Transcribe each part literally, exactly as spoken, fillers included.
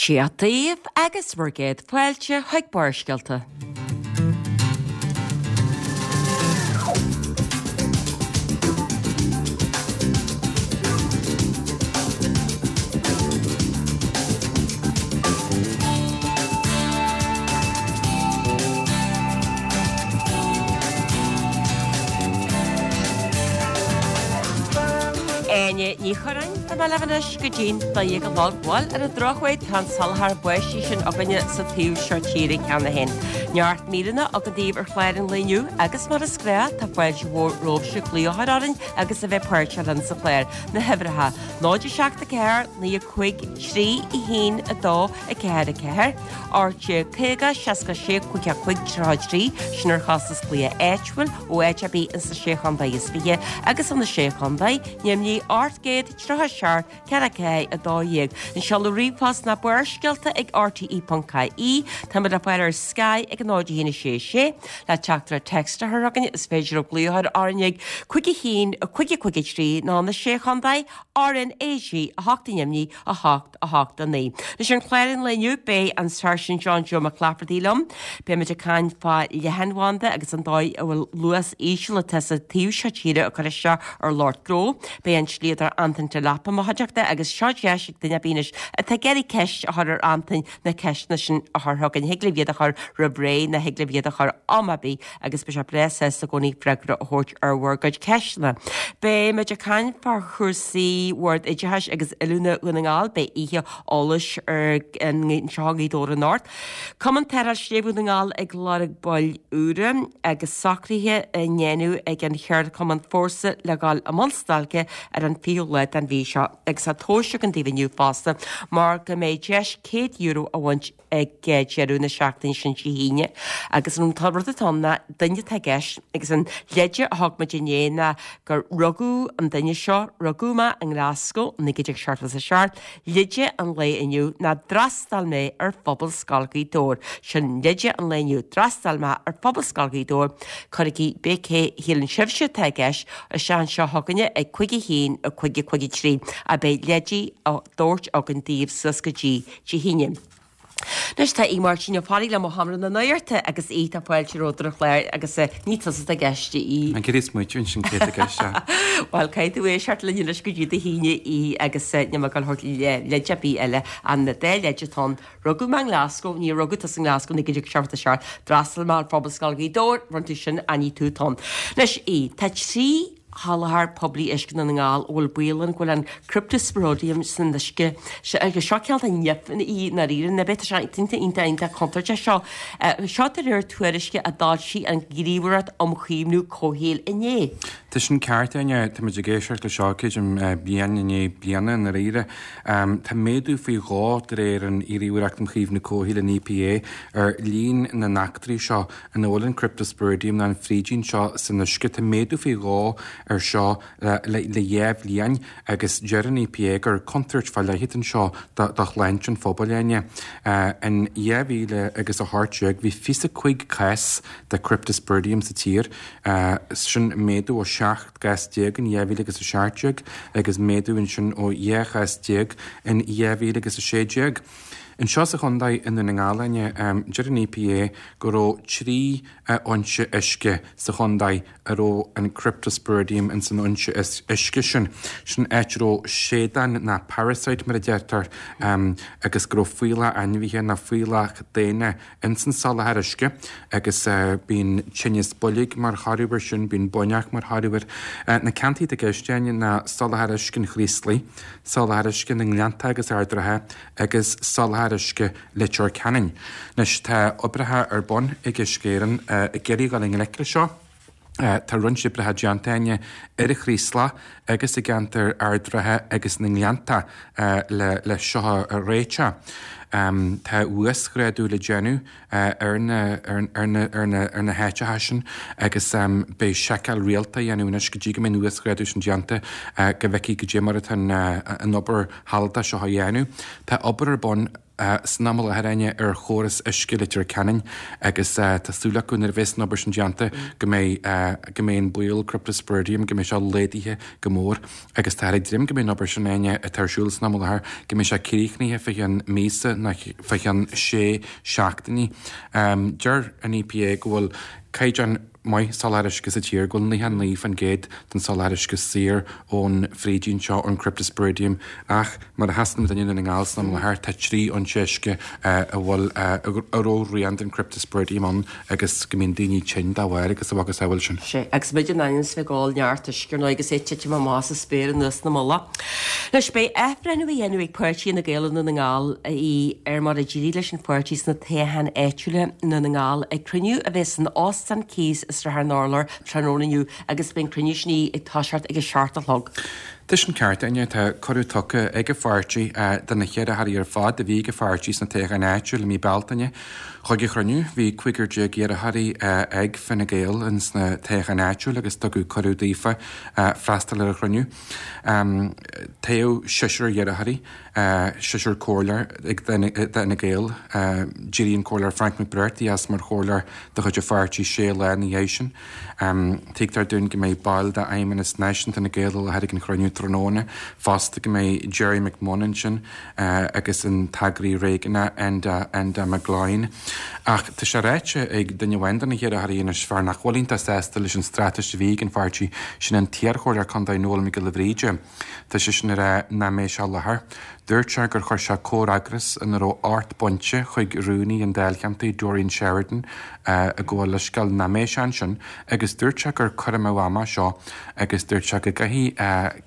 Dia daoibh agus bhur gcéad fáilte chuig Barrscéalta. Áine Ní Churráin, Tá mé libh anois go dtí'n dó dhéag a chlog. Bhuel, ar an drochuair tá an soláthar báistí sin againne sa taobh seo tíre cheana féin. Neart míreanna againn daoibh ar chlár an lae inniu agus mar is gnách tá fáilte mhór romhaibhse glaoch a chur orainn agus a bheith páirteach linn sa chlár. Na huimhreacha, náid a seacht a ceathair, naoi a cúig, trí a haon a dó a ceathair a ceathair, ocht déag caoga, seasca sé, cúig a cúig, tríocha a trí, sin ar chostas glaoch áitiúil ó áit ar bith ins na Sé Chontae is Fiche agus ó na Sé Chontae, Nimhní ocht gcéad tríocha seacht ceathair ceathair a dó dhéag. An seoladh ríomhphost ná barrscéalta ag rte ponc ie. Táimid le fáil ar Sky ag a náid a haon a sé sé. Le teachtaireacht text a chur chugainn is féidir libh glaoch a chur orainn ag cúig a haon a cúig a cúig a trí nó na Sé Chontae RnaG a hocht i nDoimní a hocht a hocht a naoi. Anois ar chlár an lae inniu beidh an Sáirsint John Joe Mac Laifeartaigh liom. Beimid ag caint fá leathanbhanda agus an dóigh a bhfuil luas íseal atá sa taobh seo tíre ag cur isteach ar lucht gnó. Beidh an dlíodóir Antain Delap i mo chuideachta agus seo deis ag duine ar bith anois atá ag iarraidh ceist a chur ar Antain na ceisteanna sin a chur chugainn. Thig libh iad a chur roimh ré nó thig libh iad a chur am ar bith agus beidh sé breá sásta i gcónaí freagra a thabhairt ar bhur gcuid ceisteanna. Beimid ag caint fá chúrsaí Bhord Oideachais agus Oiliúna Dhún na nGall, beidh oíche eolais ar anseo i nGaoth Dobhair anocht. Cumann Tarrthála Sléibhe Dhún na nGall ag lorg baill úra agus socruithe á ndéanamh ag an cheardchumann Fórsa le dhul i mbun stailce ar an fichiú lá den mhí seo agus tá tomhais againn daoibh inniu fosta mar go mbeidh deis céad euro a bhaint ag deireadh na seachtaine sin Dé hAoine agus an rud atá ann ná duine atá i gceist agus an leide a thug muid inné ná gur rugadh an duine seo, rugadh mé i nGlasgow i naoi déag seachtó a seacht, leide an lae inniu ná d'fhreastail mé ar Phobalscoil Ghaoth Dobhair. Sin leide an lae inniu, d'fhreastail mé ar Phobalscoil Ghaoth Dobhair. Cuirigí pé cé shíleann sibhse atá i gceist isteach anseo chugainne ag cúig a haon a cúig a cúig a trí a beidh leidí á dtabhairt againn daoibh suas go dtí Dé hAoine. Anois tá Aodh Máirtín Ó Fearraigh liom ó Sheomra na Nuachta agus Aodh tá fáilte romhat ar an chlár agus ní tusa atá i gceist a Aoidh. An chéad smaoitiú ansin cé atá i gceist sea. Bhuel caithfidh tú éisteacht linn anois go dtí Dé hAoine a Aoidh agus níl mé ag dul a thabhairt leid ar bith eile an dá leid atá ann. Rugadh mé i nGlasgow, níor rugadh tusa i nGlasgow naoi déag seachtó a seacht, d'fhreastail mé ar Phobalscoil Ghaoth Dobhair, rinne tú sin ach ní tú atá ann. Anois a Aoidh, tá trí sholáthar poiblí uisce i nDún na nGall a bhfuil baol ann go bhfuil an Cryptosporidium san uisce agus seo cineál de nimh í i ndáiríre nó tá sé iontach iontach iontach contúirteach seo. Seo de réir tuairisce a d'fhoilsigh an Ghníomhaireacht um Chaomhnú Comhshaoil inné. Tá sin ceart, Áine. Tá muid ag éisteacht le seo, creidim, bliain i ndiaidh bliana i ndáiríre. Tá méadú faoi dhó, de réir an Ghníomhaireacht um Chaomhnú Comhshaoil, an EPA, ar líon na n-eachtraí seo ina bhfuil an Cryptosporidium nó an frídín seo san uisce. Tá méadú faoi dhó air seo le dhá bhliain agus deir an EPA gur contúirt fá leith atá anseo do shláinte an phobail, Áine. In dhá mhíle agus a hocht déag bhí fiche cúig cás de Cryptosporidium sa tír, sin méadú ó seacht gcás déag in dhá mhíle agus a seacht déag agus méadú ansin ó dhá chás déag in dhá mhíle agus a sé déag. Anseo sa chontae i nDún na nGall, Áine, deir an EPA go raibh trí fhoinse uisce sa chontae a raibh an Cryptosporidium ins an fhoinse uisce sin. Sin áit a raibh séadán ná parasite mar a deirtear agus go raibh fuíollach ainmhithe ná fuíollach daonna ins an soláthar uisce agus bíonn tinneas boilg mar thoradh air sin, bíonn buinneach mar thoradh air. Na ceantair atá i gceist, Áine, ná soláthar uisce an Chraoslaigh, soláthar uisce na nGleannta agus Ard an Rátha agus soláthar uisce Leitir Ceanainn. Anois tá oibreacha ar bun ag Uisce Éireann ag iarraidh dul i ngleic le seo. Tá roinnt oibreacha déanta, Áine, ar an Chraoslach agus i gceantar Ard an Rátha agus na nGleannta le le seo a réiteach. Tá uasghrádú le déanamh ar na ar na ar na ar na háiteacha sin agus beidh seiceáil rialta á dhéanamh anois go dtí go mbeidh an uasghrádú sin déanta go bhfeicfí goidé mar atá an obair shealadach seo á dhéanamh. Tá obair ar bun san am i láthair, Áine, ar chóras uisce Leitir Ceanainn agus tá súil acu nuair a bheas an obair sin déanta go mbeidh go mbeidh an baol Cryptosporidium go mbeidh sé laghdaithe go mór agus táthar ag dréim go mbeidh an obair sin, Áine, atá ar siúl san am i láthair go mbeidh sé críochnaithe fá cheann míosa nó fá cheann sé seachtainí. Deir an EPA go bhfuil caighdeán maith soláthar uisce sa tír, go bhfuil nócha naoi faoin gcéad den soláthar uisce saor ón frídín seo, ón Cryptosporidium, ach mar a sheasann muid i nDún na nGall san am i láthair, tá trí fhoinse uisce a bhfuil a raibh rian den Cryptosporidium ann agus go mbíonn daoine tinn dá bharr agus a mhacasamhail sin. Sea, agus muid in ainm is bheith ag ól neart uisce ar ndóigh agus é ag titim amach as an spéir anuas na mullaigh. Anois, beidh athbhreithniú á dhéanamh ag páirtí Fhine Gael i nDún na nGall ar mar a d'éirigh leis an pháirtí sna toghcháin áitiúla i nDún na nGall ag cruinniú a bheas san Óstán Keys i Srath an Urláir tráthnóna inniu agus beidh an cruinniú sin ag toiseacht ag a seacht a chlog. Tá sin ceart, Áine, tá cuireadh tugtha ag an pháirtí do na hiarrthóirí ar fad a bhí ag an pháirtí sna toghcháin áitiúil i mí Bealtaine chuig an chruinniú. Bhí cúigear déag iarrthóirí ag Fine Gael ins na toghcháin áitiúil agus tugadh cuireadh daofa freastal ar an chruinniú. Toghadh seisear iarrthóirí, seisear comhairleoir ag d'Fhine Gael. D'éirigh an Comhairleoir Frank McBrearty as mar chomhairleoir de chuid an pháirtí sé lá ina dhiaidh sin. Tuigtear dúinn go mbeidh baill d'Fheidhmeannas Náisiúnta Fhine Gael i láthair ag an chruinniú tráthnóna fosta, go mbeidh Gerry McMunn ansin agus an t-eagraí réigiúnach Enda Enda McGloyne. Ach tá sé ráite ag duine amháin de na hiarrthóirí anois, fear nach bhfuil iontach sásta leis an straitéis a bhí ag an pháirtí, sin an t-iarchomhairleoir contae Noel Mac Giolla Bhríde. Tá seisean ag rá nach mbeidh sé i láthair. Dúirt sé gur chuir sé comhfhreagras ina raibh ocht bpointe chuig rúnaí an dáilcheantair, Doreen Sheridan, ag gabháil leithscéal nach mbeidh sé ansin agus dúirt sé gur cur amú ama seo agus dúirt sé go gcaithfidh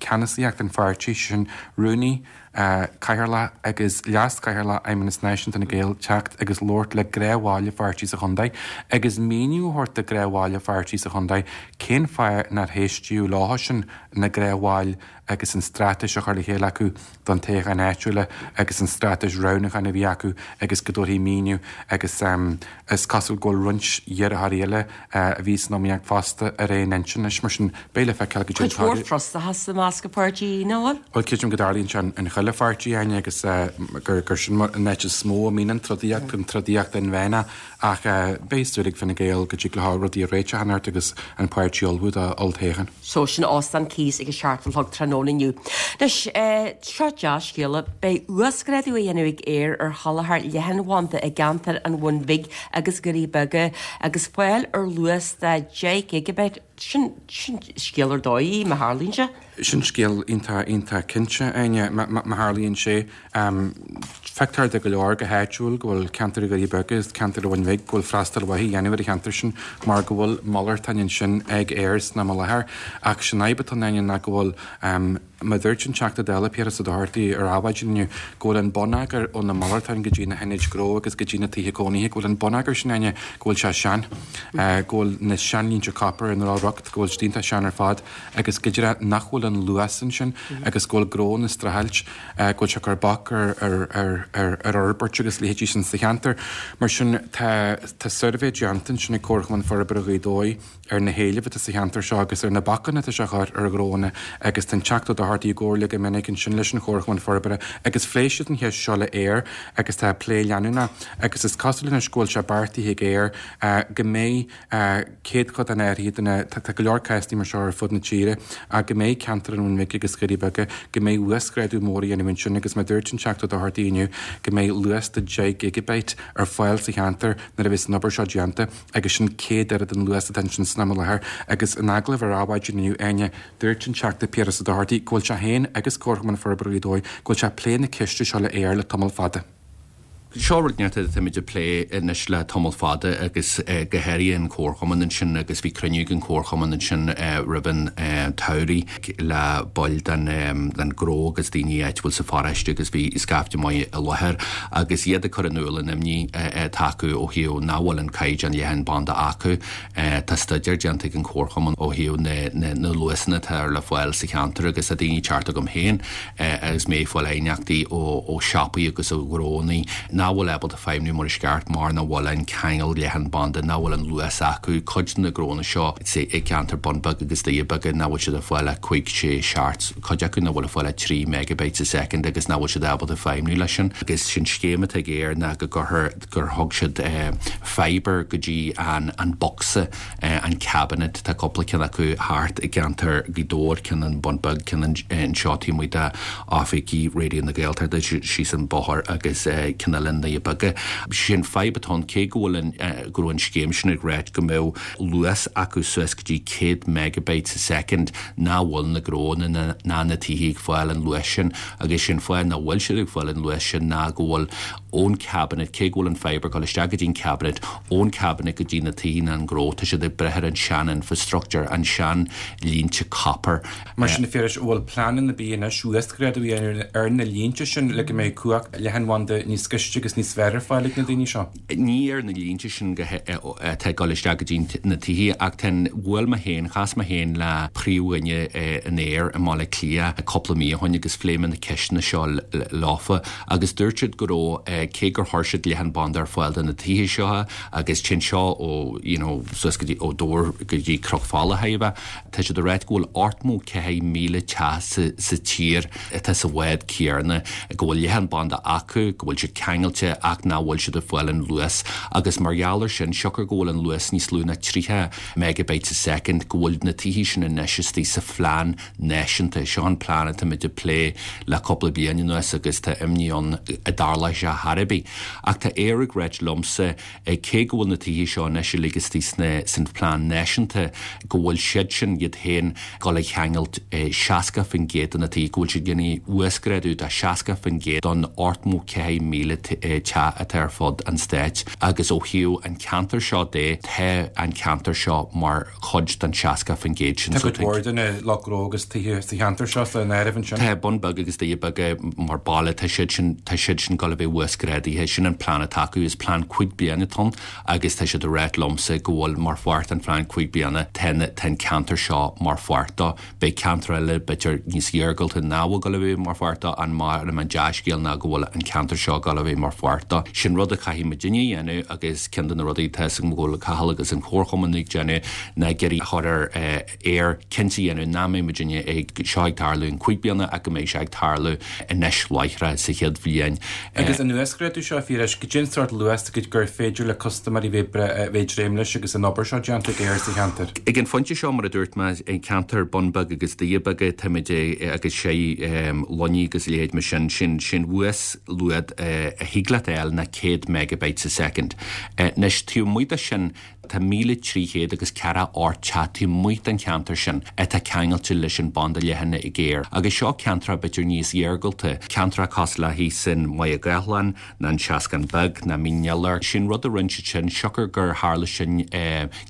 ceannasaíocht an pháirtí, sin rúnaí, cathaoirleach agus leas-chathaoirleach Fheidhmeannas Náisiúnta Fhine Gael teacht agus labhairt le gnáthbhaill an pháirtí sa chontae agus míniú a thabhairt do ghnáthbhaill an pháirtí sa chontae cén fáth nár héistíodh leo sin, na gnáthbhaill agus an straitéis a chur le chéile acu don toghchán áitiúla agus an straitéis roghnúcháin a bhí acu agus go dtabharfaí míniú agus is cosúil go bhfuil roinnt iarrthóirí eile a bhí san iomaíocht fosta ar aon intinn leis. Mar sin, beidh le feiceáil goidé Cuid mhór frustrachas i measc an pháirtí, nach bhfuil? Bhuel, creidim go dtarlaíonn sé in chuile pháirtí, Áine, agus gur gur sin an áit is mó a mbíonn an trodaíocht, an trodaíocht inmheánach ach beidh súil ag Fine Gael go dtig leo rudaí a réiteach anocht agus an páirtí a ullmhú do olltoghchán. So sin Óstán Keys ag a seacht a chlog tráthnóna inniu. Anois, seo dea-scéala, beidh uasghrádú á dhéanamh ag Eir ar sholáthar leathanbhanda i gceantar an Bhun Bhig agus Dhoirí Beaga agus fáil ar luas de deich gigabit. Sin, sin scéal ar dóigh, má tharlaíonn sé. Sin scéal iontach, iontach cinnte, Áine, má tharlaíonn sé. Feictear do go leor go háitiúil go bhfuil ceantar Dhoirí Beaga agus ceantar an Bhun Bhig, go bhfuil freastal mhaith á dhéanamh ar an cheantar sin mar go bhfuil malartáin ansin ag Eir san am i láthair. Ach sin fhadhb atá ann, Áine, ná go bhfuil, mar a dúirt an Teachta Dála Piaras Ó Dochartaigh ar Adhmhaidin inniu, go bhfuil an bonneagar ó na malartáin go dtí na hionaid ghnó agus go dtí na tithe cónaithe, go bhfuil an bonneagar sin, Áine, go bhfuil sé sean, go bhfuil na seanlínte copair ina raibh riocht, go bhfuil siad iontach sean ar fad agus go díreach nach bhfuil an luas ansin agus go bhfuil gnónna ag streachailt, go bhfuil sé ag cur bac ar ar fhorbairt agus leithéidí sin sa cheantar. Mar sin tá tá suirbhé déanta ansin ag Comharchumann Forbartha Ghaoth Dobhair ar na héilimh atá sa cheantar seo agus ar na bacanna atá sé a chur ar ghnónna agus tá an Teachta Ó Dochartaigh i gcomhairle go minic ansin leis an Chomharchumann Forbartha agus phléigh siad an cheist seo le Eir agus tá plé leanúnach agus is cosúil anois go bhfuil sé beartaithe ag Eir go mbeidh céatadán áirithe de na, tá go leor cásanna mar seo ar fud na tíre, ach go mbeidh ceantar an Bhun Bhig agus Dhoirí Beaga, go mbeidh uasghrádú mór á dhéanamh ansin agus mar a dúirt an Teachta Ó Dochartaigh inniu, go mbeidh luas de deich gigabit ar fáil sa cheantar nuair a bheas an obair seo déanta agus sin céad oiread an luas atá ansin san am i láthair. Agus in agallamh ar Adhmhaidin inniu, Áine, dúirt an Teachta Piaras Ó Dochartaigh go bhfuil sé féin agus Comharchumann Forbartha Ghaoth Dobhair, go bhfuil sé ag plé na ceiste seo le Eir le tamall fada. Seo rud inteacht atáimid ag plé anois le tamall fada agus go háirithe an Comharchumann ansin agus bhí cruinniú ag an Chomharchumann ansin roimh an tsamhraidh le baill den den ghnó agus daoine áitiúil sa pharóiste agus bhí scaifte maith i láthair agus iad ag cur in iúl an imní atá acu ó thaobh nach bhfuil an caighdeán leathanbhanda acu. Tá staidéar déanta ag an Chomharchumann ó thaobh na na luasanna atá ar le fáil sa cheantar agus tá daoine ag teacht chugam féin agus mé ag fáil aighneachtaí ó siopaí agus ó ghnónna nach nach bhfuil ábalta feidhmiú mar is ceart mar nach bhfuil an ceangal leathanbhanda nach bhfuil an luas acu cuid de na gnónna seo i gceantar Bun Beag agus Doirí Beaga nach bhfuil siad ag fáil ach cúig sé seacht cuid acu nach bhfuil ag fáil ach trí megabytes a second agus nach bhfuil siad ábalta feidhmiú leis sin agus sin scéim atá ag Eir ná go gcuirfear gur thug siad fiber go dtí an an bocsa an cabinet tá cúpla ceann acu thart i gceantar Ghaoth Dobhair ceann an Bun Beag ceann anseo taobh amuigh d'oifigí Raidió na Gaeltachta síos an bóthar agus ceann eile i nDoirí Beaga. Sin fadhb atá ann cé go bhfuil an go raibh an scéim sin ag ráit go mbeadh luas acu suas go dtí céad megabytes a second nach bhfuil na gnónna ná na tithe ag fáil an luas sin agus sin fáth nach bhfuil siad ag fáil an luas sin ná go bhfuil ón cabinet cé go bhfuil an fiber ag dul isteach go dtí an cabinet ón cabinet go dtí na tithe ná an gnó tá siad ag brath ar an sean infrastructure an sean línte copper. Mar sin Phiarais bhfuil pleananna ar bith anois uasghrádú a dhéanamh ar na línte sin le go mbeidh cumhacht leathanbhanda níos gaiste agus níos fearr ar fáil ag na daoine seo. Ní ar na línte sin atá ag dul isteach go dtí na tithe ach ten bhfuil mé féin chas mé féin le príomhdhuine in Eir i mBaile Átha Cliath cúpla mí ó shin agus phléigh mé na ceisteanna seo leofa agus dúirt siad go raibh cé gur chuir siad leathanbhanda ar fáil do na tithe seo agus sin seo ó you know, suas go dtí ó Dobhar go dtí Cnoc Fola thaobh Tá siad ag ráit go bhfuil ochtó ceathair míle teach sa tír atá sa bhád céanna go bhfuil leathanbhanda acu go bhfuil siad ceangailte ach nach bhfuil siad ag fáil an luas agus mar gheall air sin siocair go bhfuil an luas níos lú ná tríocha megabytes a second go bhfuil na tithe sin anois istigh sa phlean náisiúnta seo an plean atáimid ag plé le cúpla bliain anuas agus tá imní ann a dtarlóidh sé ar chor ar bith. Ach tá Eir ag ráit liomsa cé go bhfuil na tithe seo anois uilig istigh sna san plean náisiúnta go bhfuil siad sin iad féin dul a cheangailt seasca faoin gcéad de na tithe go bhfuil siad déanamh uasghrádú de seasca faoin gcéad don ochtó ceathair míle teach atá ar fud an stáit agus ó thaobh an ceantar seo de tá an ceantar seo mar chuid den seasca faoin gcéad sin. Tá cuid mhór de na lucht gnó agus tithe sa cheantar seo san áireamh ansin. Tá Bun Beag agus Doirí Beaga mar baile tá siad sin tá siad sin dul a bheith uasghrádaithe sin an plean atá acu is plean cúig bliana atá ann agus tá siad ag ráit liomsa go bhfuil mar pháirt an phlean cúig bliana tá an ceantar seo mar pháirt dó beidh ceantar eile b'fhéidir níos iargúlta nach bhfuil dul a bheith mar pháirt dó an mar an dea-scéal ná go bhfuil an ceantar seo dul a bheith mar pháirt dó. Sin rud a chaithfidh muidinne a dhéanamh agus ceann de na rudaí tá go bhfuil Cathal agus an Comharchumann ag déanamh ná iarraidh a chur ar Eir cinnte a dhéanamh nach mbeidh muidinne ag seo ag tarlú in cúig bliana ach go mbeidh sé ag tarlú anois láithreach sa chéad bhliain. Agus an uasghrádú seo Phiarais cad é an sórt luas gur féidir le custaiméirí bheith bheith dréim leis agus an obair seo déanta ag Eir sa cheantar. Ag an phointe seo mar a dúirt mé an ceantar Bun Beag agus Doirí Beaga táimid agus sé Luinnigh agus leithéid mar sin sin sin uasluas a thig leat a fháil ná céad megabytes a second. Anois taobh amuigh de sin tá míle trí chéad agus ceathracha ocht teach taobh amuigh den cheantar sin atá ceangailte leis an banda leathan ag Eir. Agus seo ceantar b'fhéidir níos iargúlta, ceantar cosúil le thíos in Maigh Gathlán ná an Seascann Beag ná Mín Iolair. Sin rud a rinne siad sin siocair gur tharla sin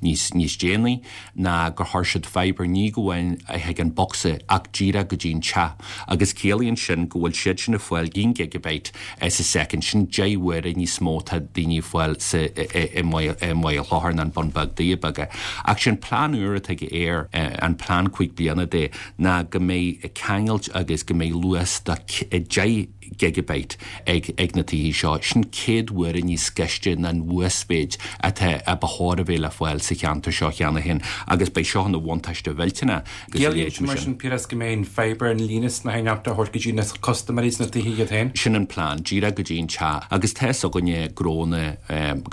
níos níos déanaí ná gur chuir siad fiber ní go bhfuil chuig an bocsa ach díreach go dtí an teach. Agus ciallaíonn sin go bhfuil siad sin ag fáil aon gigabyte sa second sin deich uaire níos mó tá daoine ag fáil sa i Maigh Chlóthar an Bun Beag Doirí Beaga. Ach sin plean úr atá ag Eir an plean cúig bliana de ná go mbeidh ceangailt agus go mbeidh luas de deich gigabyte ag ag na tithe seo sin céad uaire níos gaiste ná an uasmhéid atá a ba chóir a bheith le fáil sa cheantar seo cheana féin agus beidh seo ina bhuntáiste mhillteanach Ciallaíonn mar sin Piaras go mbeidh an fiber an líne snáitheachta a thabhairt go dtí na custaiméirí sna tithe iad féin? Sin an plean díreach go dtí an teach agus tá againne gnónna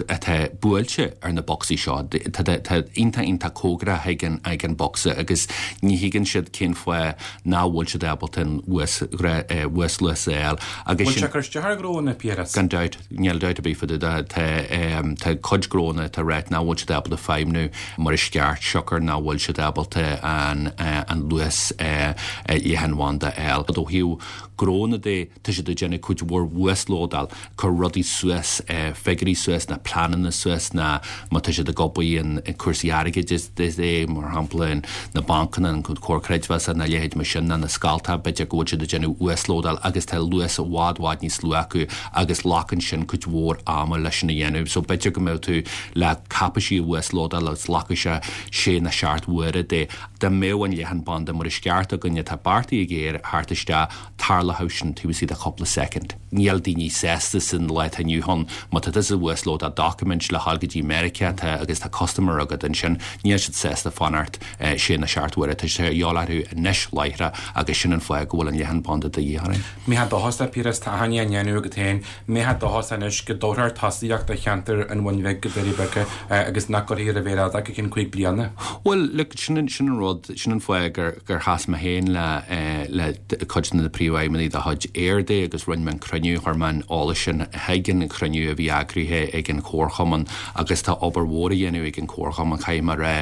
atá buailte ar na bocsaí seo tá iontach iontach cóngarach ag an ag an bocsa agus ní thuigeann siad cén fáth nach bhfuil siad ábalta an uasluas a fháil agus sin cur isteach ar ghnónna Piaras. Gan dabht níl dabht ar bith faoi tá tá cuid gnónna atá ag ráit nach bhfuil siad ábalta feidhmiú mar is ceart siocair nach bhfuil siad ábalta an an luas leathanbhanda a fháil. Ó thaobh gnónna de tá siad ag déanamh cuid mhór uaslódáil cur rudaí suas figiúirí suas na pleananna suas na má tá siad ag obair in cúrsaí airgid é mar shampla na bancanna an comhar creidmheasa na leithéid mar sin na na scalta b'fhéidir go bhfuil siad ag déanamh uaslódáil agus tá luas luas i bhfad bhfad níos lú acu agus glacann sin cuid mhór ama leis sin a dhéanamh. So b'fhéidir go mbeadh tú le cáipéisí a uaslódáil agus glacfaidh sé sé nó seacht uaire de. Dá mbeadh an leathanbhanda mar is ceart againne atá beartaithe ag Eir thart isteach tarlódh sin taobh istigh de chúpla soicind. Níl daoine sásta san lá atá inniu ann má tá tusa ag uaslódáil document le dhul go dtí Meiriceá tá agus tá customer agat ansin, níl siad sásta fanacht sé nó seacht uaire. Tá sé a dhíobháil orthu anois láithreach agus sin an fáth go bhfuil an leathanbhanda de dhíth orainn. Mbeifeá dóchasach, Piaras, tá aithne á ndéanamh agat féin, mbeifeá dóchasach anois go dtabharfar tosaíocht do cheantar an Bhun Bhig go Doirí Beaga agus nach gcuirfí ar an mhéar fhada go ceann cúig bliana? Bhuel, look, sin an, sin an rud, sin an fáth gur, gur chas mé féin le, le cuid de na príomhfheidhmeannaigh de chuid Eir de agus rinne mé an cruinniú, chuir mé an eolas sin chuig an chruinniú a bhí eagraithe ag an chomharchumann agus tá obair mhór á dhéanamh ag an chomharchumann, caithfidh mé a rá,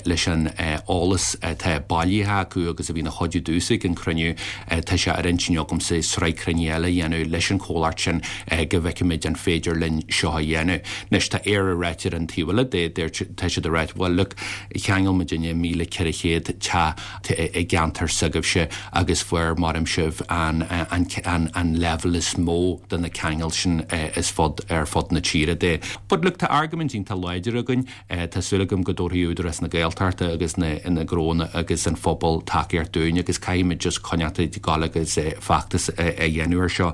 leis an eolas atá bailithe acu agus a bhí ina chuidiú domhsa ag an chruinniú, tá sé ar intinn agamsa sraith cruinnithe eile a dhéanamh leis an chomhlacht sin go bhfeicfimid an féidir linn seo a dhéanamh. Anois tá Eir ag ráit ar an taobh eile de, deir, tá siad ag ráit, bhuel look, cheangail muidinne míle ceithre chéad teach i gceantar s'agaibhse agus fuair maram sibh an, an, an, an leibhéal is mó de na ceangail sin is fud, ar fud na tíre de. But look, tá argóint iontach láidir againn, tá súil agam go dtabharfaidh Údarás na Gaeltachta agus na, na gnónna agus an phobal tacaíocht dúinn agus caithfimid just coinneáil ag gabháil agus feachtas a dhéanamh ar seo.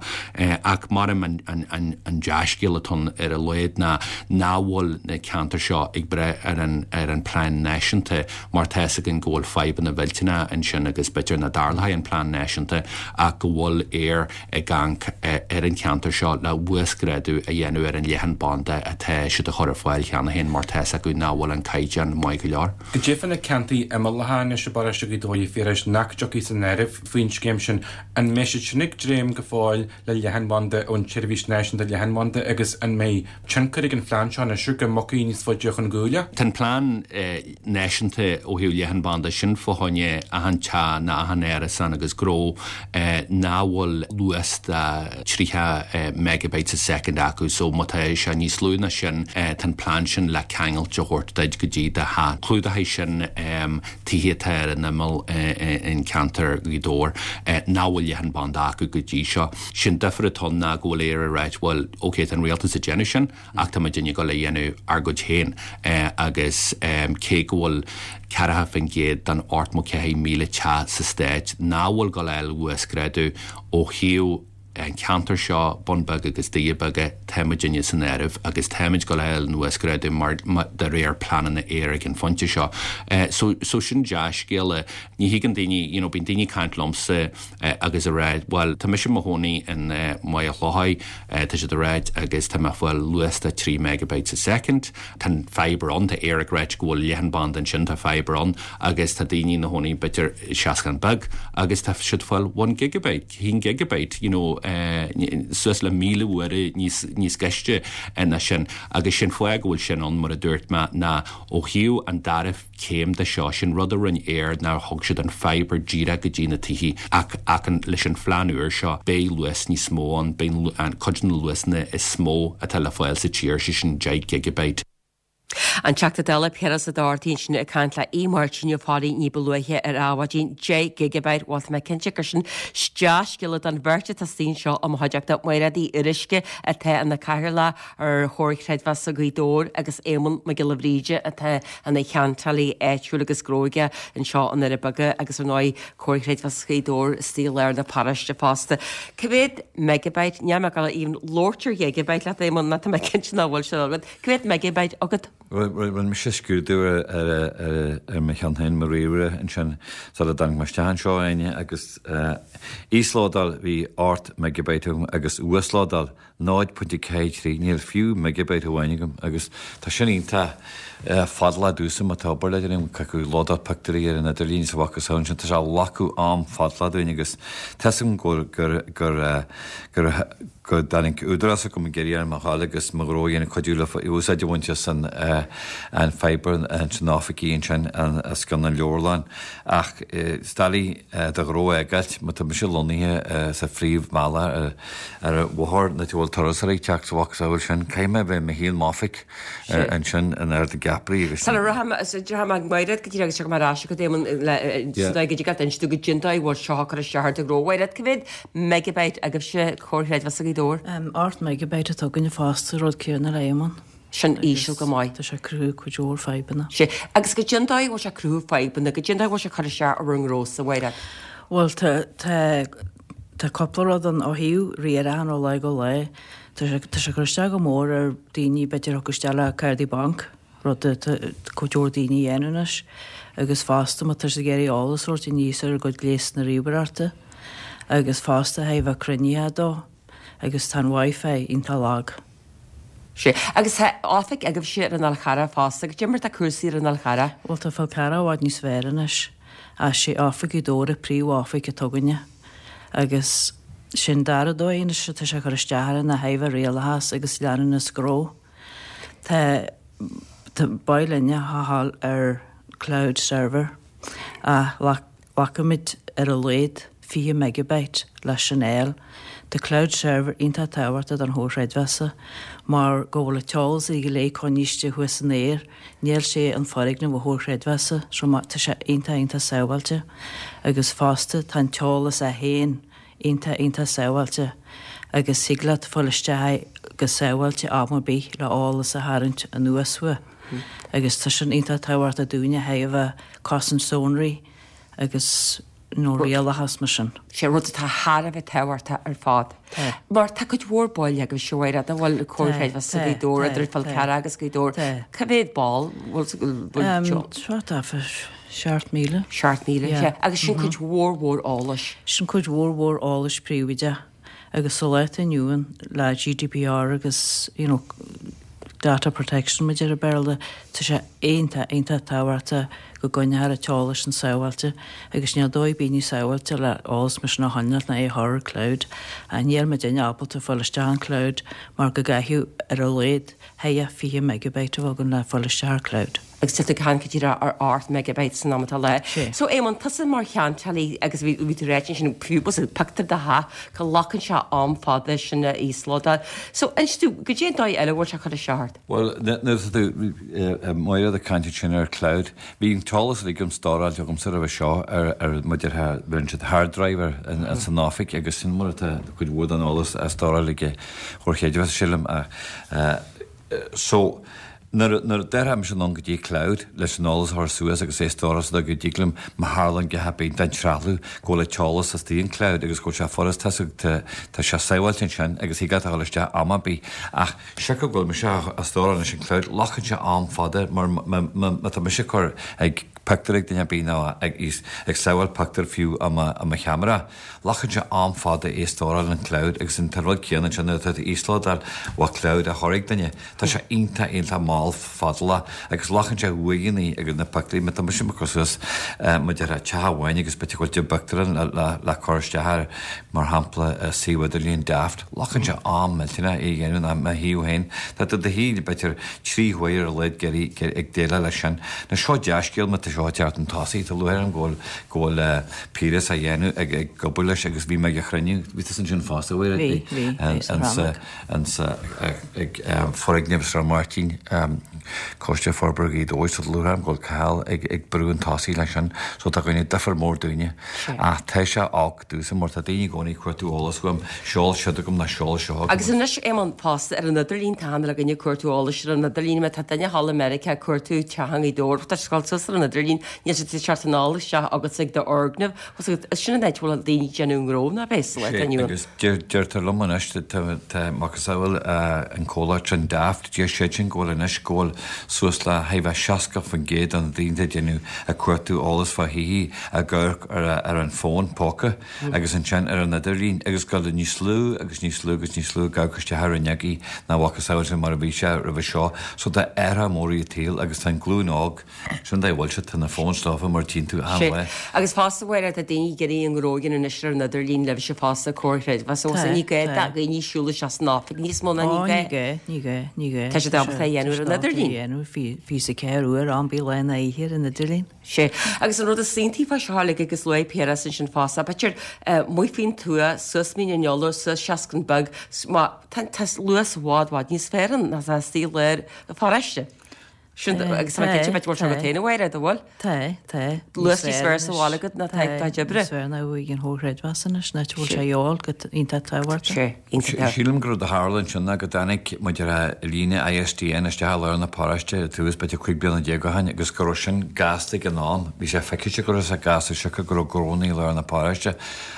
Ach maram an, an, an, an dea-scéal atá ann ar a laghad ná nach bhfuil na ceantair seo ag breith ar an, ar an plean náisiúnta mar tá fhios againn go bhfuil fadhbanna mhillteanacha ansin agus b'fhéidir nach dtarlóidh an plean náisiúnta ach go bhfuil Eir ag amharc ar an cheantar seo le uasghrádú a dhéanamh ar an leathanbhanda atá siad a chur ar fáil cheana féin mar tá fhios acu nach bhfuil an caighdeán maith go leor. Goidé fá na ceantair imeallacha anois i bparóiste Ghaoth Dobhair a Phiarais nach dtiocfaidh san áireamh faoin scéim sin, an mbeidh siad sin ag dréim go fóill le leathanbhanda ón tSeirbhís Náisiúnta Leathanbhanda agus an mbeidh tionchar ag an phlean seo anois go mbogfaí níos faide chun gabhála? Tá an plean náisiúnta ó thaobh leathanbhanda sin fá choinne achan teach nó achan árasán agus gnó nach bhfuil luas de tríocha megabytes a second acu so má tá sé níos lú ná sin tá an plean sin le ceangailt a thabhairt duit go dtí do theach. Clúdóidh sin tithe atá ar an imeall in ceantar Ghaoth Dobhair nach bhfuil leathanbhanda acu go dtí seo. Sin difear atá ann ná go bhfuil Éire ag ráit bhuel ok tá an rialtas ag déanamh sin ach tá muidinne ag dul a dhéanamh ár gcuid féin agus cé go bhfuil ceathracha faoin gcéad den ochtó ceathair míle teach sa stát nach bhfuil ag dul a fháil uasghrádú ó thaobh an ceantar seo, Bun Beag agus Doirí Beaga, tá muidinne san áireamh agus táimid ag dul a fháil an uasghrádú mar de réir pleananna Eir ag an phointe seo. So so sin dea-scéala. Ní thuigeann daoine, you know, bíonn daoine ag caint liomsa agus ag rá, bhuel, tá mise i mo chónaí in Maigh Chlocháin, tá siad ag ráit agus tá mé ag fáil luas de trí megabytes a second. Tá an fibre ann, tá Eir ag ráit go bhfuil leathanbhanda ansin, tá fibre ann agus tá daoine ina chónaí b'fhéidir i Seascann Beag agus tá siad ag fáil one gigabyte, haon gigabyte, you know, suas le míle uaire níos níos gaiste ná sin agus sin fáth go bhfuil sin ann mar a dúirt mé ná ó thaobh an dara céim de seo sin rud a rinne Eir nár thug siad an fibre díreach go dtí na tithe ach ach an, leis an phlean úr seo beidh luas níos mó ann beidh an cuid de na luasanna is mó atá le fáil sa tír sé sin deich gigabyte. An Teachta Dála Piaras Ó Dochartaigh ansin ag caint le Aodh Máirtín Ó Fearraigh ní ba luaithe ar Adhmhaidin deich gigabyte bhuel tá mé cinnte gur sin dea-scéala don bheirt atá istigh anseo i mo chuideachta Mairéad Uí Fhíoruisce atá ina cathaoirleach ar Chomhar Creidmheasa Ghaoth Dobhair agus Éamonn Mac Giolla Bhríde atá ina cheantálaí áitiúil agus gnóige anseo i nDoirí Beaga agus ar ndóigh Comhar Creidmheasa Ghaoth Dobhair istigh i lár na paróiste fosta. Cá mhéad megabyte níl mé ag gabháil even labhairt ar ghigabyte leat Éamonn ná tá mé cinnte nach bhfuil sé agat. Cá mhéad megabyte agat? Rinne mise scrúdú ar mo cheann féin mo ríomhaire ansin sula dtáinig mé isteach anseo Áine agus íoslódáil bhí ocht megabyte agam agus uaslódáil náid pointe ceathair trí níl fiú megabyte amháin agam agus tá sin iontach fadálach domhsa má tá obair le déanamh caithfidh lódáil pictiúirí ar an idirlíon sa bhac ansin tá sé ag glacadh am fadálach dúinn agus tá 'fhios agam gur gur gur gur go dtáinig údarás agam ag iarraidh orm a ghabháil agus mo ghnó a dhéanamh cuidiú le úsáid a bhaint as an an fibre ansin oifigí ansin os cionn an leabharlann ach is doiligh do ghnó a fhágáilt má tá mise lonnaithe sa phríomhbhealach ar ar bhóthar na bhfuil bhfuil turasóirí ag teacht sa mhacasamhail sin, caithfidh mé a bheith i mo shuí i m'oifig ansin in Ard na gCeapaí agus. Sula rachaidh mé ag Mairéad go díreach agus tiocfaidh mé ar ais chugat Éamonn le sa dóigh go dtig leat inse dúinn goidé an dóigh a bhfuil seo ag cur isteach ar do ghnó. Mairéad, cá mhéad megabyte agaibhse Comhar Creidmheasa Ghaoth Dobhair? Ocht megabyte atá againne fosta, rud céanna le Éamonn. Sin íseal go maith. Tá sé ag cruthú cuid mhór fadhbanna. Sea. Agus goidé an dóigh a bhfuil sé ag cruthú fadhbanna, goidé an dóigh a bhfuil sé ag cur isteach ar bhur ngnósa, a Mhairéad? Bhuel, tá, tá, tá cúpla rud ann ó thaobh riaracháin ó lá go lá. Tá sé, tá sé ag cur isteach go mór ar daoine b'fhéidir a thiocfadh isteach le cártaí banc, rud atá cuid mhór daoine a dhéanamh anois. Agus fosta má tá siad ag iarraidh eolas a thabhairt aníos ar a gcuid gléasanna ríomhaireachta. Agus fosta a bheith cruinnithe dó. Agus tá an Wi-Fi iontach lag. Sea. Agus tá oifig agaibhse ar an Fhál Charrach fosta. Goidé mar tá cúrsaí ar an Fhál Charrach? Bhuel, tá Fál Carrach i bhfad níos fearr anois. Ach sé oifig Ghaoth Dobhair an príomh-oifig atá againne. Agus sé'n dara dóigh anois atá sé ag cur isteach orainn ná ó thaobh rialachas agus leanúnas gnó. Tá, tá b'áil linne a ghabháil ar cloud server ach Glacaimid ar a laghad fiche megabyte leis sin a fháil. Tá cloud server iontach tábhachtach don Chomhar Chreidmheasa mar go bhfuil an t-eolas go léir coinnithe istigh thuas san aer, níl sé in foirgneamh an Chomhar Chreidmheasa so tá sé iontach iontach sábháilte agus fosta tá an t-eolas é féin iontach iontach sábháilte agus thig leat fáil isteach go sábháilte am ar bith le eolas a tharraingt anuas uaidh agus tá sin iontach tábhachtach dúinne ó thaobh cosaint sonraí agus nó rialachas mar sin. Sé rud atá thar a bheith tábhachtach ar fad. Tá. Mar tá cuid mhór baill agaibhse a Mhairéad, an bhfuil Comhar Tá, Creidmheasa tá, Ghaoth Dobhair, tá, idir Fál tá. Carrach agus Gaoth Dobhair. Tá. Cá mhéad ball bhfuil bhfuil seo? Thart fá seacht míle. Seacht míle, Yeah. sea. Agus sin cuid mhór mhór eolais. Sin cuid mhór mhór eolais príobháideach agus sa lá atá inniu ann le GDPR agus you know, data protection mar a deir an Béarla, tá sé iontach, iontach tábhachtach go gcoinneofar an t-eolas sin sábháilte agus níl dóigh ar bith níos sábháilte le eolas mar sin a choinneáil ná é a chur ar cloud. Níl muidinne ábalta fáil isteach an cloud mar go gcaithfidh ar a laghad fiche megabyte a bheith againn le fáil isteach ar cloud. Agus tá tú ag caint go díreach ar ocht megabyte san am atá le. Sé. So Éamonn, tusa mar cheantálaí agus bhí bhí tú ráite ansin fiú bus pictiúr de theach go nglacann sé am fada sin a íoslódáil. So inis dúinn, goidé an dóigh eile a bhfuil sé ag cur isteach ort? Bhuel, nuair atá tú, Máire, ag caint ansin ar cloud, bhí an t-eolas uilig agam stóráilte agamsa roimhe seo ar ar mar a déarfá bheireann siad hard drive ar in san oifig agus sin mar atá cuid mhór den eolas á stóráil ag Comhar Creidmheasa sílim ach so nuair nuair a déarfá mise anonn go dtí cloud leis an eolas a chur suas agus é a stóráil sa dóigh go dtig liom má tharlaíonn go thapaidh den trealamh go bhfuil an t-eolas istigh in cloud agus go bhfuil sé furast tá tá sé sábháilte ansin agus thig leat a dhul isteach am ar bith ach siocair go bhfuil mise á stóráil anois in cloud glacann sé am fada mar má tá mise ag cur ag pictiúr ag duine ar bith nó ag ag sábháil pictiúr fiú i mo i mo cheamara glacann sé am fada é a stóráil in cloud agus an rud céanna ansin nuair atá tú íoslódáil ó cloud a chur ag duine tá sé iontach iontach mall fadálach agus glacann sé uaireanta agus na pictiúirí má tá mise ag cur suas mar a déarfá teach amháin agus b'fhéidir go bhfuil deich bpictiúr ann le le cur isteach ar mar shampla suíomh idirlín Daft glacann sé am millteanach é a dhéanamh ná mo thaobh féin tá tú i do shuí b'fhéidir trí huaire ar a laghad ag déileáil leis sin. Now seo dea-scéal má tá seo ag teacht chun tosaigh tá lúcháir orm go bhfuil go bhfuil Piaras á dhéanamh ag ag obair leis agus bhí mé ag a chruinniú bhí tusa ansin fosta Bhí, bhí, bhí sa ansa ansa ag foirgneamh Sráid Mháirtín Coiste Forbartha Ghaoth Dobhair so tá lúcháir orm go bhfuil Cathal ag ag brú chun tosaigh leis sin so tá go ndéanfaidh difear mór dúinne. Ach tá sé olc domhsa mar tá daoine i gcónaí ag cuartú eolas uaim, seol siúd agam ná seol seo agam. Agus anois Éamonn fosta ar an idirlíon tá achan duine ag cuartú eolais ar an idirlíon má tá duine thall i Meiriceá ag cuartú teach i nGaoth Dobhair tá siad ag dul suas ar an idirlíon níl siad ag teacht anall isteach agat ag d'fhoirgneamh sin an áit a bhfuil daoine ag déanamh gnó ná bheith sa lá Sé inniu. agus deirtear liom anois tá macasamhail an comhlacht sin Daft deir siad sin go bhfuil anois go bhfuil suas le thart fá seasca faoin gcéad de na daoine ag déanamh ag cuartú eolas fá thithe ag amharc ar ar an bhfón póca agus ansin ar an idirlíon agus go bhfuil níos lú agus níos lú agus níos lú ag amharc isteach ar fhuinneogaí ná macasamhail sin mar a bhí sé roimhe seo so tá athrú mór ar an tsaol agus tá an glúin óg Sin dá bhfuil siad, tá na fóins leofa mar tchíonn tú achan Sé. lá. Agus fosta Mháire, tá daoine ag iarraidh a ngnó a dhéanamh anois ar an idirlíon libhse fosta, Comhar Creidmheasa. Tá, Ní gá tá. do dhaoine siúl isteach san oifig níos mó ná ní Ó, gá. ní gá, ní gá, ní gá. Tá siad ábalta a dhéanamh ar an an idirlíon. Dhéanamh fiche a ceathair uair am bith lá ná oíche ar an idirlíon. Sé. Agus an rud is iontaí fá seo uilig agus luaigh Piaras ansin fosta, b'fhéidir amuigh faoin tuath, suas Mín an Iolair, suas Seascann Beag, má tá luas i bhfad, bhfad níos fearr ann ná tá istigh i lár na paróiste. Sin agus tá mé cinnte b'fhéidir go bhfuil sé agat féin a Mháire, an bhfuil? Tá, tá. Luas níos fearr sa bhaile agat ná tá ag do chuid oibre. Níos fearr ná uaidh an chomhchreidmheas anois, ná bhfuil sé a fháil go iontach tábhachtach. Sé, iontach. Sílim go raibh a tharla ansin ná go dtáinig muid ar líne ISDN isteach i lár na paróiste i tús b'fhéidir cúig bliana déag ó shin agus go raibh sin gasta ag an am. Bhí sé feicthe go raibh sé gasta siocair go raibh gnónna i lár na paróiste.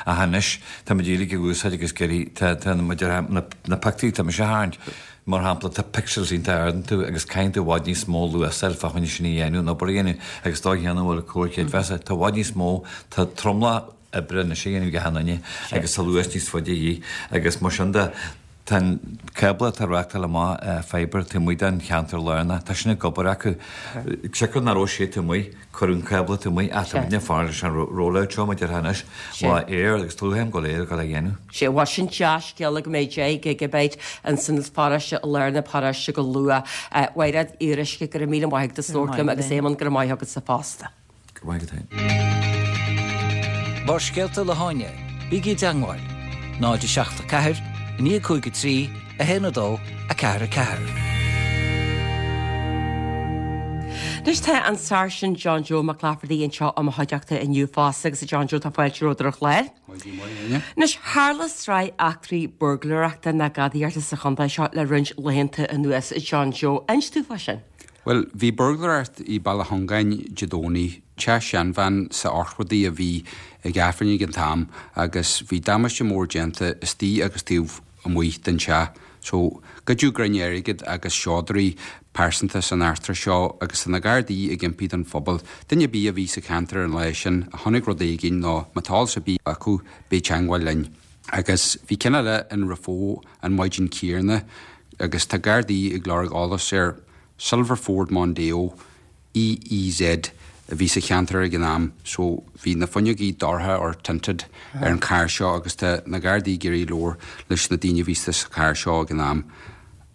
Ach anois tá muid uilig ag úsáid agus ag iarraidh tá tá muid ar na na pictiúirí tá mise a tharraingt. Mar shampla, tá pixels iontach ard iontu agus caithfidh tú i bhfad níos mó luas a fháil fá choinne sin a dhéanamh, an obair a dhéanamh agus dá chéanna a bhfuil comhar creidmheasa. Tá i bhfad níos mó, tá tromlach oibre anois á dhéanamh ag achan duine agus tá luas níos faide a dhíth agus mar sin de, tá an cábla atá ag reáchtáil amach, fibre, taobh amuigh den cheantar lárnach, tá sin ag obair acu. Siocair nach raibh sé taobh amuigh, cuireadh an cábla taobh amuigh ach tá muidne ag fanacht leis an rollout seo mar a déarfá anois, lá Eir agus Tlúthaim go léir ag dul a dhéanamh. Sé, bhuel sin dea-scéala go mbeidh deich gigibite ins an pharóiste i lár na paróiste go luath. A Mhairéad Fhíoruisce, go raibh míle maith agat as labhairt liom agus Éamonn, go raibh maith agatsa fosta. Go raibh maith agat féin. Barrscéalta le hÁine, bígí i dteangmháil, náid a seacht a ceathair, a naoi cúig a trí, a haon a dó, a ceathair a ceathair. Anois tá an Sáirsint John Joe Mac Laifeartaigh anseo i mo chuideachta inniu fosta agus a John Joe tá fáilte romhat ar an chlár. Anois tharla sraith eachtraí buirgléireachta ná gadaíochta sa chontae seo le roinnt laethanta anuas, a John Joe. Inis dúinn fá sin. Bhuel, bhí buirgléireacht i Baile Chongáin Dé Domhnaigh, teach seanbhean sa Ochtóidí a bhí ag Aifreann ag an t-am agus bhí damáiste mór déanta istigh agus taobh amuigh den teach. So, goideadh greim airgid agus seodra pearsanta san eachtra seo agus tá na Gardaí ag impí don phobal, duine ar bith a bhí sa cheantar an lá sin, a chonaic rud éigin nó má tá eolas ar bith acu, bí i dteangmháil linn. Agus bhí ceann eile in Raphoe an maidin chéanna agus tá Gardaí ag lorg eolas ar Silver Ford Mondeo EEZ a bhí sa cheantar ag an am so bhí na fuinneogaí dorcha or tinted ar an charr seo agus tá na Gardaí ag iarraidh labhairt leis na daoine a bhí sa charr seo ag an am.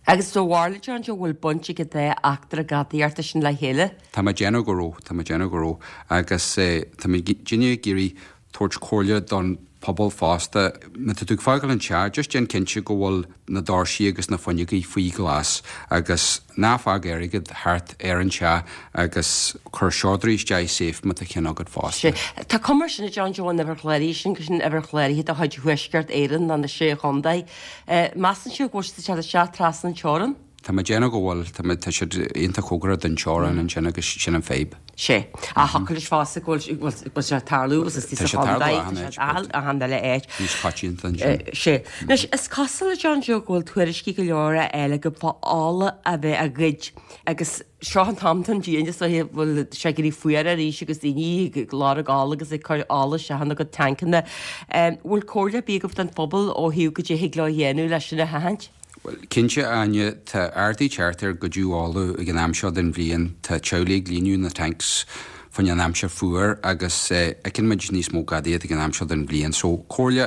Agus do bharúil John Joe bhfuil baint ag an dá eachtra gadaíochta sin le chéile? Tá mé ag déanamh go raibh, tá mé ag déanamh go raibh agus tá muidinne ag iarraidh tabhairt comhairle don phobal fosta. Má tá tú ag fágáil an teach, just déan cinnte go bhfuil na doirsí agus na fuinneogaí faoi ghlas agus ná fág airgead thart ar an teach agus cuir seodra isteach i safe má tá ceann agat fosta. Sé. Tá cuma air sin a John Joe an uimhir chláraithe sin, go sin uimhir chláraithe de chuid Thuaisceart Éireann ná na Sé Chontae. Measann sibh go bhfuil siad ag teacht isteach trasna an teorann? Tá mé ag déanamh go bhfuil, tá mé, tá siad iontach cóngarach don teorainn ansin agus sin an fadhb. Sé. Ach thiocfadh leis fosta go bhfuil, go bhfuil sé ag tarlú agus is sa chontae, tá sé achan uile áit. Níos coitianta ansin. Sé. Anois, is cosúil a John Joe go bhfuil tuairiscí go leor á fháil agaibh fá ola a bheith á ghoid agus seo an t-am don bhliain is dóiche bhfuil sé ag éirí fuar arís agus daoine ag lorg ola agus ag cur ola isteach ina gcuid tancanna. Bhfuil comhairle ar bith agaibh don phobal ó thaobh goidé a thig leo a dhéanamh leis sin a sheachaint? Bhuel, cinnte, a Áine, tá ardú teacht ar ghoideadh ola ag an am seo den bhliain. Tá teaghlaigh ag líonadh na tanks fá choinne an aimsir fuar agus feiceann muid níos mó gadaíocht ag an am seo den bhliain. So, comhairle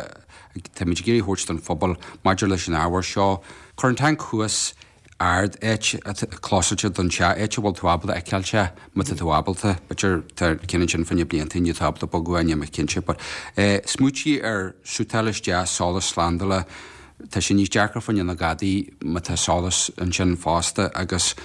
táimid ag iarraidh thabhairt don phobal maidir leis an ábhar seo, cuir an tanc thuas ard, áit atá clósáilte don teach, áit a bhfuil tú ábalta a fheiceáil sé, má tá tú ábalta. B'fhéidir tá ceann ansin fá choinne blianta, níl tú ábalta bogadh é, níl mé cinnte. But eh, smaointigh ar suiteáil isteach solas slándála, tá sé níos deacra fá choinne na gadaí má tá solas ansin fosta agus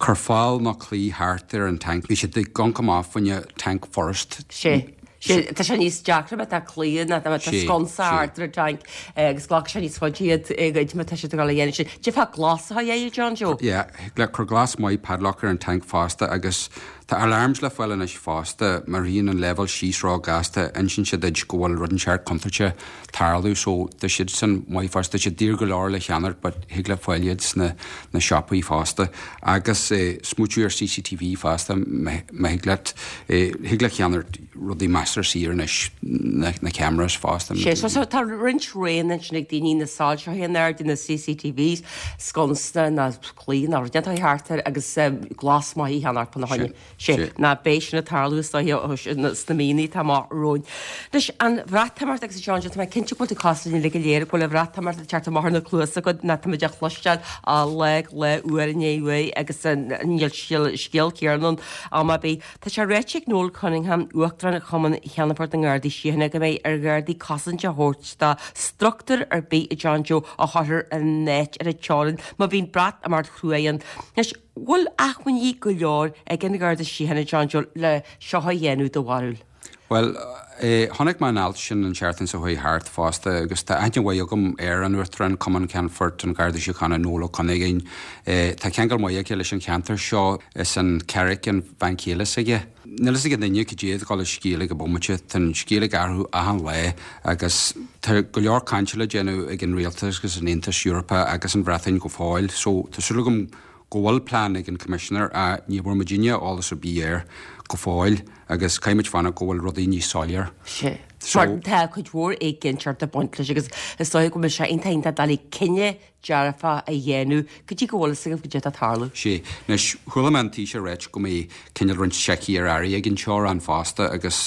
cuir fál nó claí thart ar an tanc. Bhí siad ag gonc amach fá choinne tanc furast. Sé. Sé, tá sé níos deacra má tá claí ná má tá sconsa thart ar an tanc agus glacfaidh sé níos faide iad a ghoid má tá siad ag dul a dhéanamh sin. D'fhéadfá glas a dhéanamh, John Joe? Yeah, le cuir glas maith padlock ar an tanc fosta agus tá alarms le fáil anois fosta, má ritheann an leibhéal síos ró-ghasta, insíonn siad duit go bhfuil rud inteacht contúirteach ag tarlú so tá siad sin maith fosta, tá siad daor go leor le ceannacht but thig leat fáil iad sna na siopaí fosta agus eh, smaoitiú ar CCTV fosta má thig leat eh, thig leat ceannacht rudaí maslach measartha saor anois, na cameras fosta. Sé, so so tá roinnt roghanna ansin ag daoine, na soilseacha in airde, na CCTVs, sconsa ná claí ná rud atá thart air agus glas maith a cheannacht fána choinne. Sé, ná beidh sin ag tarlú is dóiche sna míonna atá amach romhainn. Anois, an Bhreatimeacht agus a John Joe, tá mé cinnte go bhfuil tú cosúil linn uilig go léir, go bhfuil an Bhreatimeacht ag teacht amach ar na cluasa agat, ná táimid á chloisteáil ó lá go lá, uair i ndiaidh uair agus níl scéal céanna ann am ar bith. Tá sé ráite ag Noel Cunningham, Uachtarán Chumann Cheannfort na nGardaí Síochána, go mbeidh ar Ghardaí cosaint a thabhairt do struchtúr ar bith a John Joe a chuirfear in áit ar an teorainn má bhíonn Breatimeacht chruaidh ann. Anois, bhfuil acmhainní go leor ag an Gharda Síochána, John Joe, le seo a dhéanamh, do bharúil? Bhuel, chonaic mé an alt sin an tseachtain seo chuaigh thart fosta agus tá aithne mhaith agam ar an Uachtarán Cumann Ceannfoirt an Gharda Síochána, Noel Ó Cuinneagáin. Tá ceangal maith aige leis an cheantar seo, is an Carraig an bhean chéile s'aige. Níl fhios ag aon duine cad é atá ag dul an scéal ag an bomaite, tá an scéal ag athrú achan lá agus tá go leor cainte le déanamh ag an Rialtas agus an Aontas Eorpach agus an Bhreatain go fóill so tá súil agam go bhfuil plean ag an Coimisinéir ach ní bhfuair muidinne eolas ar bith air go fóill agus caithfidh muid fanacht go bhfuil rudaí níos soiléir. Sea. Mar tá cuid mhór éiginnteacht ag baint leis agus is dóigh go mbeidh sé iontach iontach doiligh cinneadh dearfach a dhéanamh go dtí go bhfuil fhios agaibh cad é atá ag tarlú. Sea. Anois, chuala mé an Taoiseach ag ráit go mbeidh cineál roinnt seicí ar airí ag an teorainn fosta agus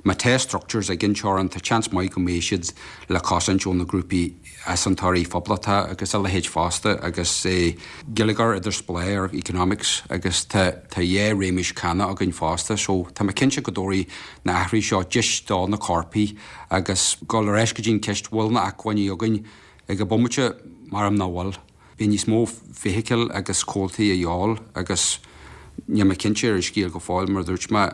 má tá structures ag an teorainn tá seans maith go mbeidh siad le cosaint ó na grúpaí easaontóirí poblachtacha agus a leithéid fosta agus geilleagar idirspleách ar economics agus tá tá dhá réimeas cánach againn fosta so tá mé cinnte go dtabharfaidh na hathruithe seo deis do na coirpigh agus dul ar ais go dtí an ceist bhfuil na acmhainní againn ag an bomaite maram nach bhfuil. Beidh níos mó feithicil agus comhaltaí a dhíobháil agus níl mé cinnte ar an scéal go fóill mar a dúirt mé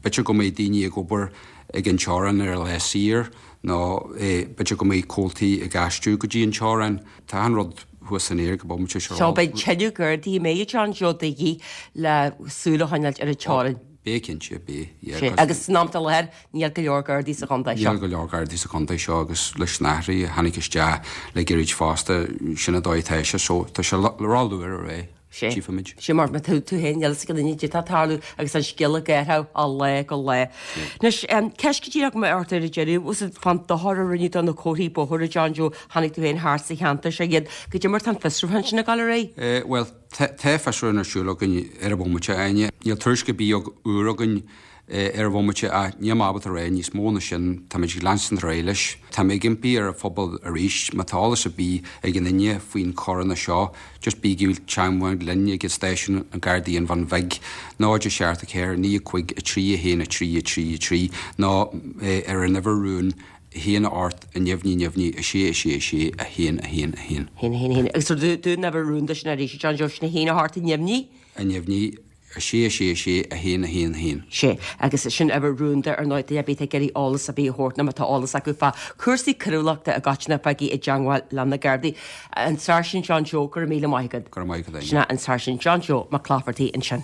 b'fhéidir go mbeidh daoine ag obair ag an teorainn ar lá saor nó b'fhéidir go mbeidh comhaltaí ag aistriú go dtí an teorainn. Tá achan rud thuas san aer ag an bomaite seo. So beidh tuilleadh Gardaí an mbeidh a John Joe de dhíth le súil a choinneáilt ar an teorainn. Beidh cinnte, beidh, yeah. Sea, agus san am atá i láthair níl go leor Gardaí sa chontae seo. Níl go leor Gardaí sa chontae seo agus leis na hathruithe a tháinig isteach le gairid fosta, sin an dóigh atá sé so tá sé ró-luath a rá. Sea. Tchífimid. Sea, mar tá tú féin, níl fhios ag aon duine cad é atá ag tarlú agus an scéal ag athrú ó lá go lá. Anois, ceist go díreach agam ort ar an deireadh, was it fán dochar a rinneadh do na comharthaí bóthair, a John Joe, chonaic tú féin thart sa cheantar seo iad, cad é mar tá an fiosrúchán sin ag dul ar aghaidh? Bhuel, tá fiosrúchán ar siúl againn ar an bhomaite, a Áine. Níl tuairisc ar bith úr againn ar an bhomaite ach níl mé ábalta a rá níos mó ná sin, táimid ag leanstan ar aghaidh leis. Tá mé ag impí ar an phobal arís, má tá eolas ar bith ag aon duine faoin choireanna seo, just bígí i dteangmháil linn ag stáisiún an Ghardaí an Bhun Bhig, náid a seacht a ceathair naoi a cúig a trí a haon a trí a trí a trí nó ar an uimhir rúin a haon a ocht a neamhní neamhní a sé a sé a sé a haon a haon a haon. haon a haon a haon. Agus dúinn an uimhir rúnda sin arís, John Joe, sin a haon a hocht a neamhní? A neamhní. a sé a sé a sé a haon a haon a haon. Sé, agus sin uimhir rúnda ar ndóigh duine ar bith atá ag iarraidh eolas ar bith a thabhairt nó má tá eolas acu fá chúrsaí coiriúlachta i gcoitinne bígí i dteangmháil le na Gardaí. An Sáirsint John Joe, go raibh míle maith agat. Go raibh maith agat, Sin é an Sáirsint John Joe Mac Laifeartaigh ansin.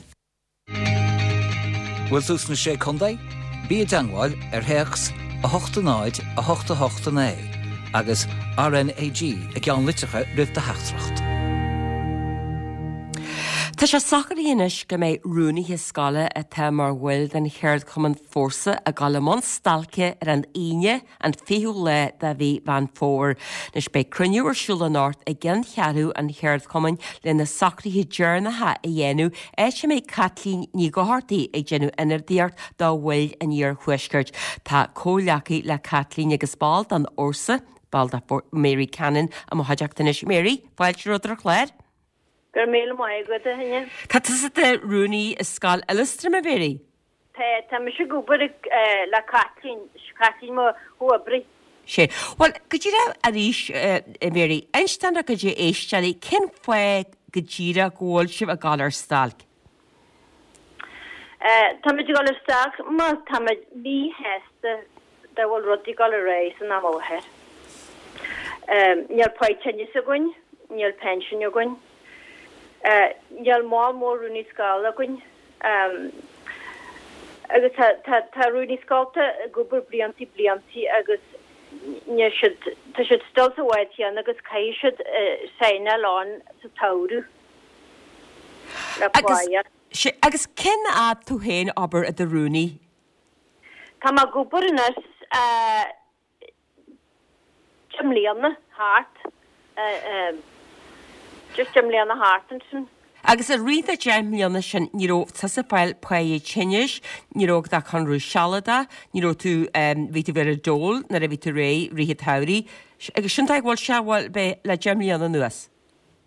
Bhfuil tú sna Sé Contae? Bí i dteangmháil ar théacs a hocht a náid a hocht a hocht a naoi agus RnaG i gceannlitreacha roimh do theachtaireacht. Tá sé socraithe anois go mbeidh rúnaithe scoile atá mar bhaill den cheardchumann Fórsa ag dul i mbun stailce ar an Aoine, an fichiú lá de mhí Mheán Fómhair. Anois beidh cruinniú ar siúl anocht i gceanncheathrú an cheardchumainn le na socruithe deireanacha a dhéanamh, áit a mbeidh Caitlín Ní Dhochartaigh ag déanamh ionadaíocht do bhaill an Iarthuaiscirt. Tá comhghleacaí le Caitlín agus ball den fhórsa, ball de Mary Cannon i mo chuideachta anois. Mary, fáilte romhat ar an chlár. Go raibh míle maith agat, a Áine. Tá tusa i do rúnaí i Scoil Oileastram, a Mary? Tá, tá mise ag obair le Caitlín, Caitlín mo chomhoibrí. Sea. Bhuel, go díreach arís, a Mary, inis dár gcuid éisteoirí, cén fáth go díreach go bhfuil sibh ag dul ar stailc? Táimid ag dul ar stailc mar táimid míshásta dá bhfuil rudaí ag dul ar aghaidh san am i láthair. Níl páigh tinnis againn, níl pension againn, níl moll mór rúnaí scoile againn agus tá tá tá rúnaí scoilte ag obair bliantaí bliantaí agus níl siad tá siad still sa bhád chéanna agus caithfidh siad signáil ann sa tsamhradh le Agus páighe. agus cén fhad tú féin ag obair i do rúnaí? Tá mé ag obair anois deich mbliana thart, just deich mbliana thart ansin. Agus i rith na deich mbliana sin ní raibh tusa ag fáil páighe tinnis, ní raibh agat ach conradh sealadach, ní raibh tú, bhí tú ar an dole nuair a bhí tú réidh i rith an tsamhraidh. Agus sin dóigh go bhfuil sé, bhuel, b'é le deich mbliana anuas.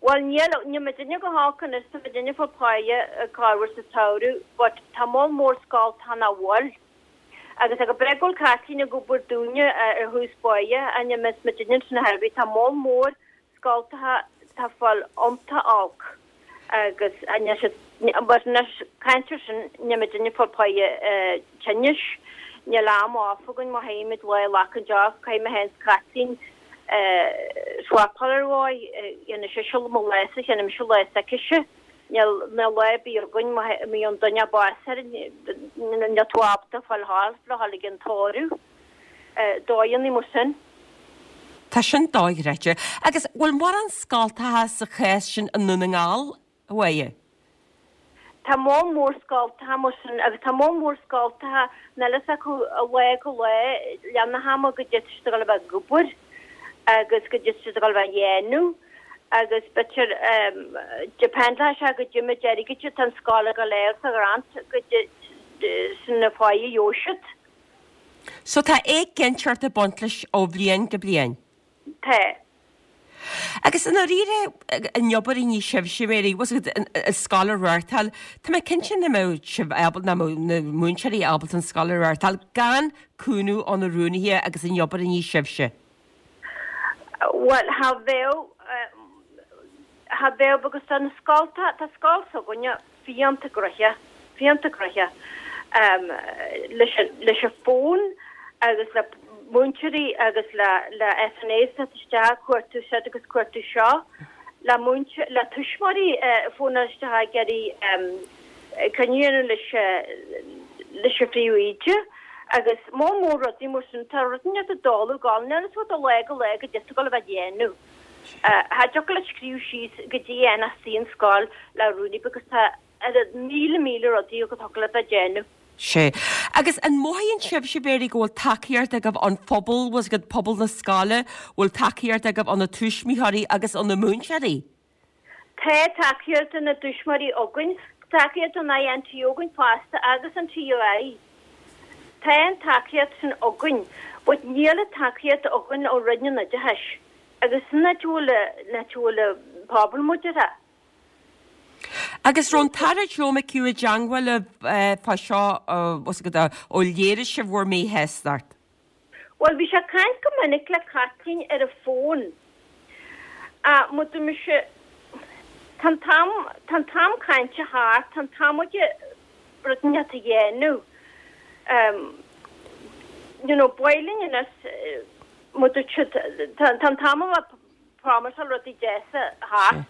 Bhuel níl, níl muidinne go holc anois, tá muidinne ag fáil páighe corruair sa tsamhradh but tá moll mór scoltacha nach bhfuil. Agus go breá go bhfuil Caitlín ag obair dúinne ar thús báire, ach más muidinne ansin a bhí, tá moll mór scoltacha tá ag fáil iontach olc agus níl siad, but anois caint ar sin, níl muidinne ag fáil páighe tinnis, níl am off againn má théimid lá a ghlacann off, caithfidh mé féin 's Caitlín swapáil ar dhóigh, dhéanfaidh sise mo lá-sa, dhéanfaidh mise lá s'aicise. Níl níl lá ar bith againn má bhíonn duine básaithe níl tú ábalta fáil thall le dhul ag an tórramh. Dóigheanna mar sin. Tá sin dochreidte. Agus bhfuil mórán scoltacha sa chás sin i nDún na nGall, a Mháire? Tá moll mór scoltacha mar sin agus tá moll mór scoltacha níl fhios acu ó lá go lá leath na hama goidé tá siad ag dul a bheith ag obair agus goidé tá siad ag dul a bheith a dhéanamh agus b'fhéidir dependleadh sé goidé méid airgid atá an scoil ag dul a fháil sa ghrant goidé sin an pháigh a gheobhaidh siad. So tá éiginnteacht ag baint leis ó bhliain go bliain? Tá. Agus i ndáiríre, an obair a ní sibhse, Mary, bhfuil fhios agat, an scoil a reáchtáil, tá mé cinnte nach mbeadh sibh ábalta, nach mbeadh na múinteoirí ábalta an scoil a reáchtáil gan cúnamh ó na rúnaithe agus an obair a ní sibhse. Bhuel, cha bheadh, cha bheadh because tá na scolta, tá scoil s'againne fiánta gnoitheach, fiánta gnoitheach leis an, leis an bhfón agus le múinteoirí agus le le SNAs teacht isteach ag cuartú siúd agus cuartú seo, le múinte le tuismitheoirí ag fónáil isteach ag iarraidh cruinniú a dhéanamh leis leis an phríomhoide agus moll mór rudaí mar sin. Tá rud inteacht ag dul ag gabháil, níl fhios agat ó lá go lá goidé tá ag dul a bheith á dhéanamh. Cha dtiocfadh leat scríobh síos goidé a dhéanfas an scoil le rúnaí because tá oiread míle míle rudaí go dtiocfadh leat a dhéanamh. Sea. Agus an mothaíonn sibhse, Mary, go bhfuil tacaíocht agaibh ón phobal, bhfuil fhios agat, pobal na scoile, bhfuil tacaíocht agaibh ó na tuismitheoirí agus ó na múinteoirí? Tá tacaíocht ó na tuismitheoirí againn, tacaíocht ón INTO againn fosta agus an TUI. Tá an tacaíocht sin againn, but níl an tacaíocht againn ó Roinn an Oideachais agus sin áit a bhfuil, áit a bhfuil an pobal muideartha. Agus raibh an tAire Joe McHugh i dteangmháil libh fá seo ó léirigh sibh bhur míshástacht? Bhuel, bhí sé ag caint go minic le Caitlín ar an bhfón. Ach mar dúirt mise, tá an t-am, tá an t-am cainte thart, tá an t-am aige rud inteacht a dhéanamh. You know, ba mhaith linn anois, mar dúirt siad, tá an t-am a bheith promiseáil rudaí deasa thart.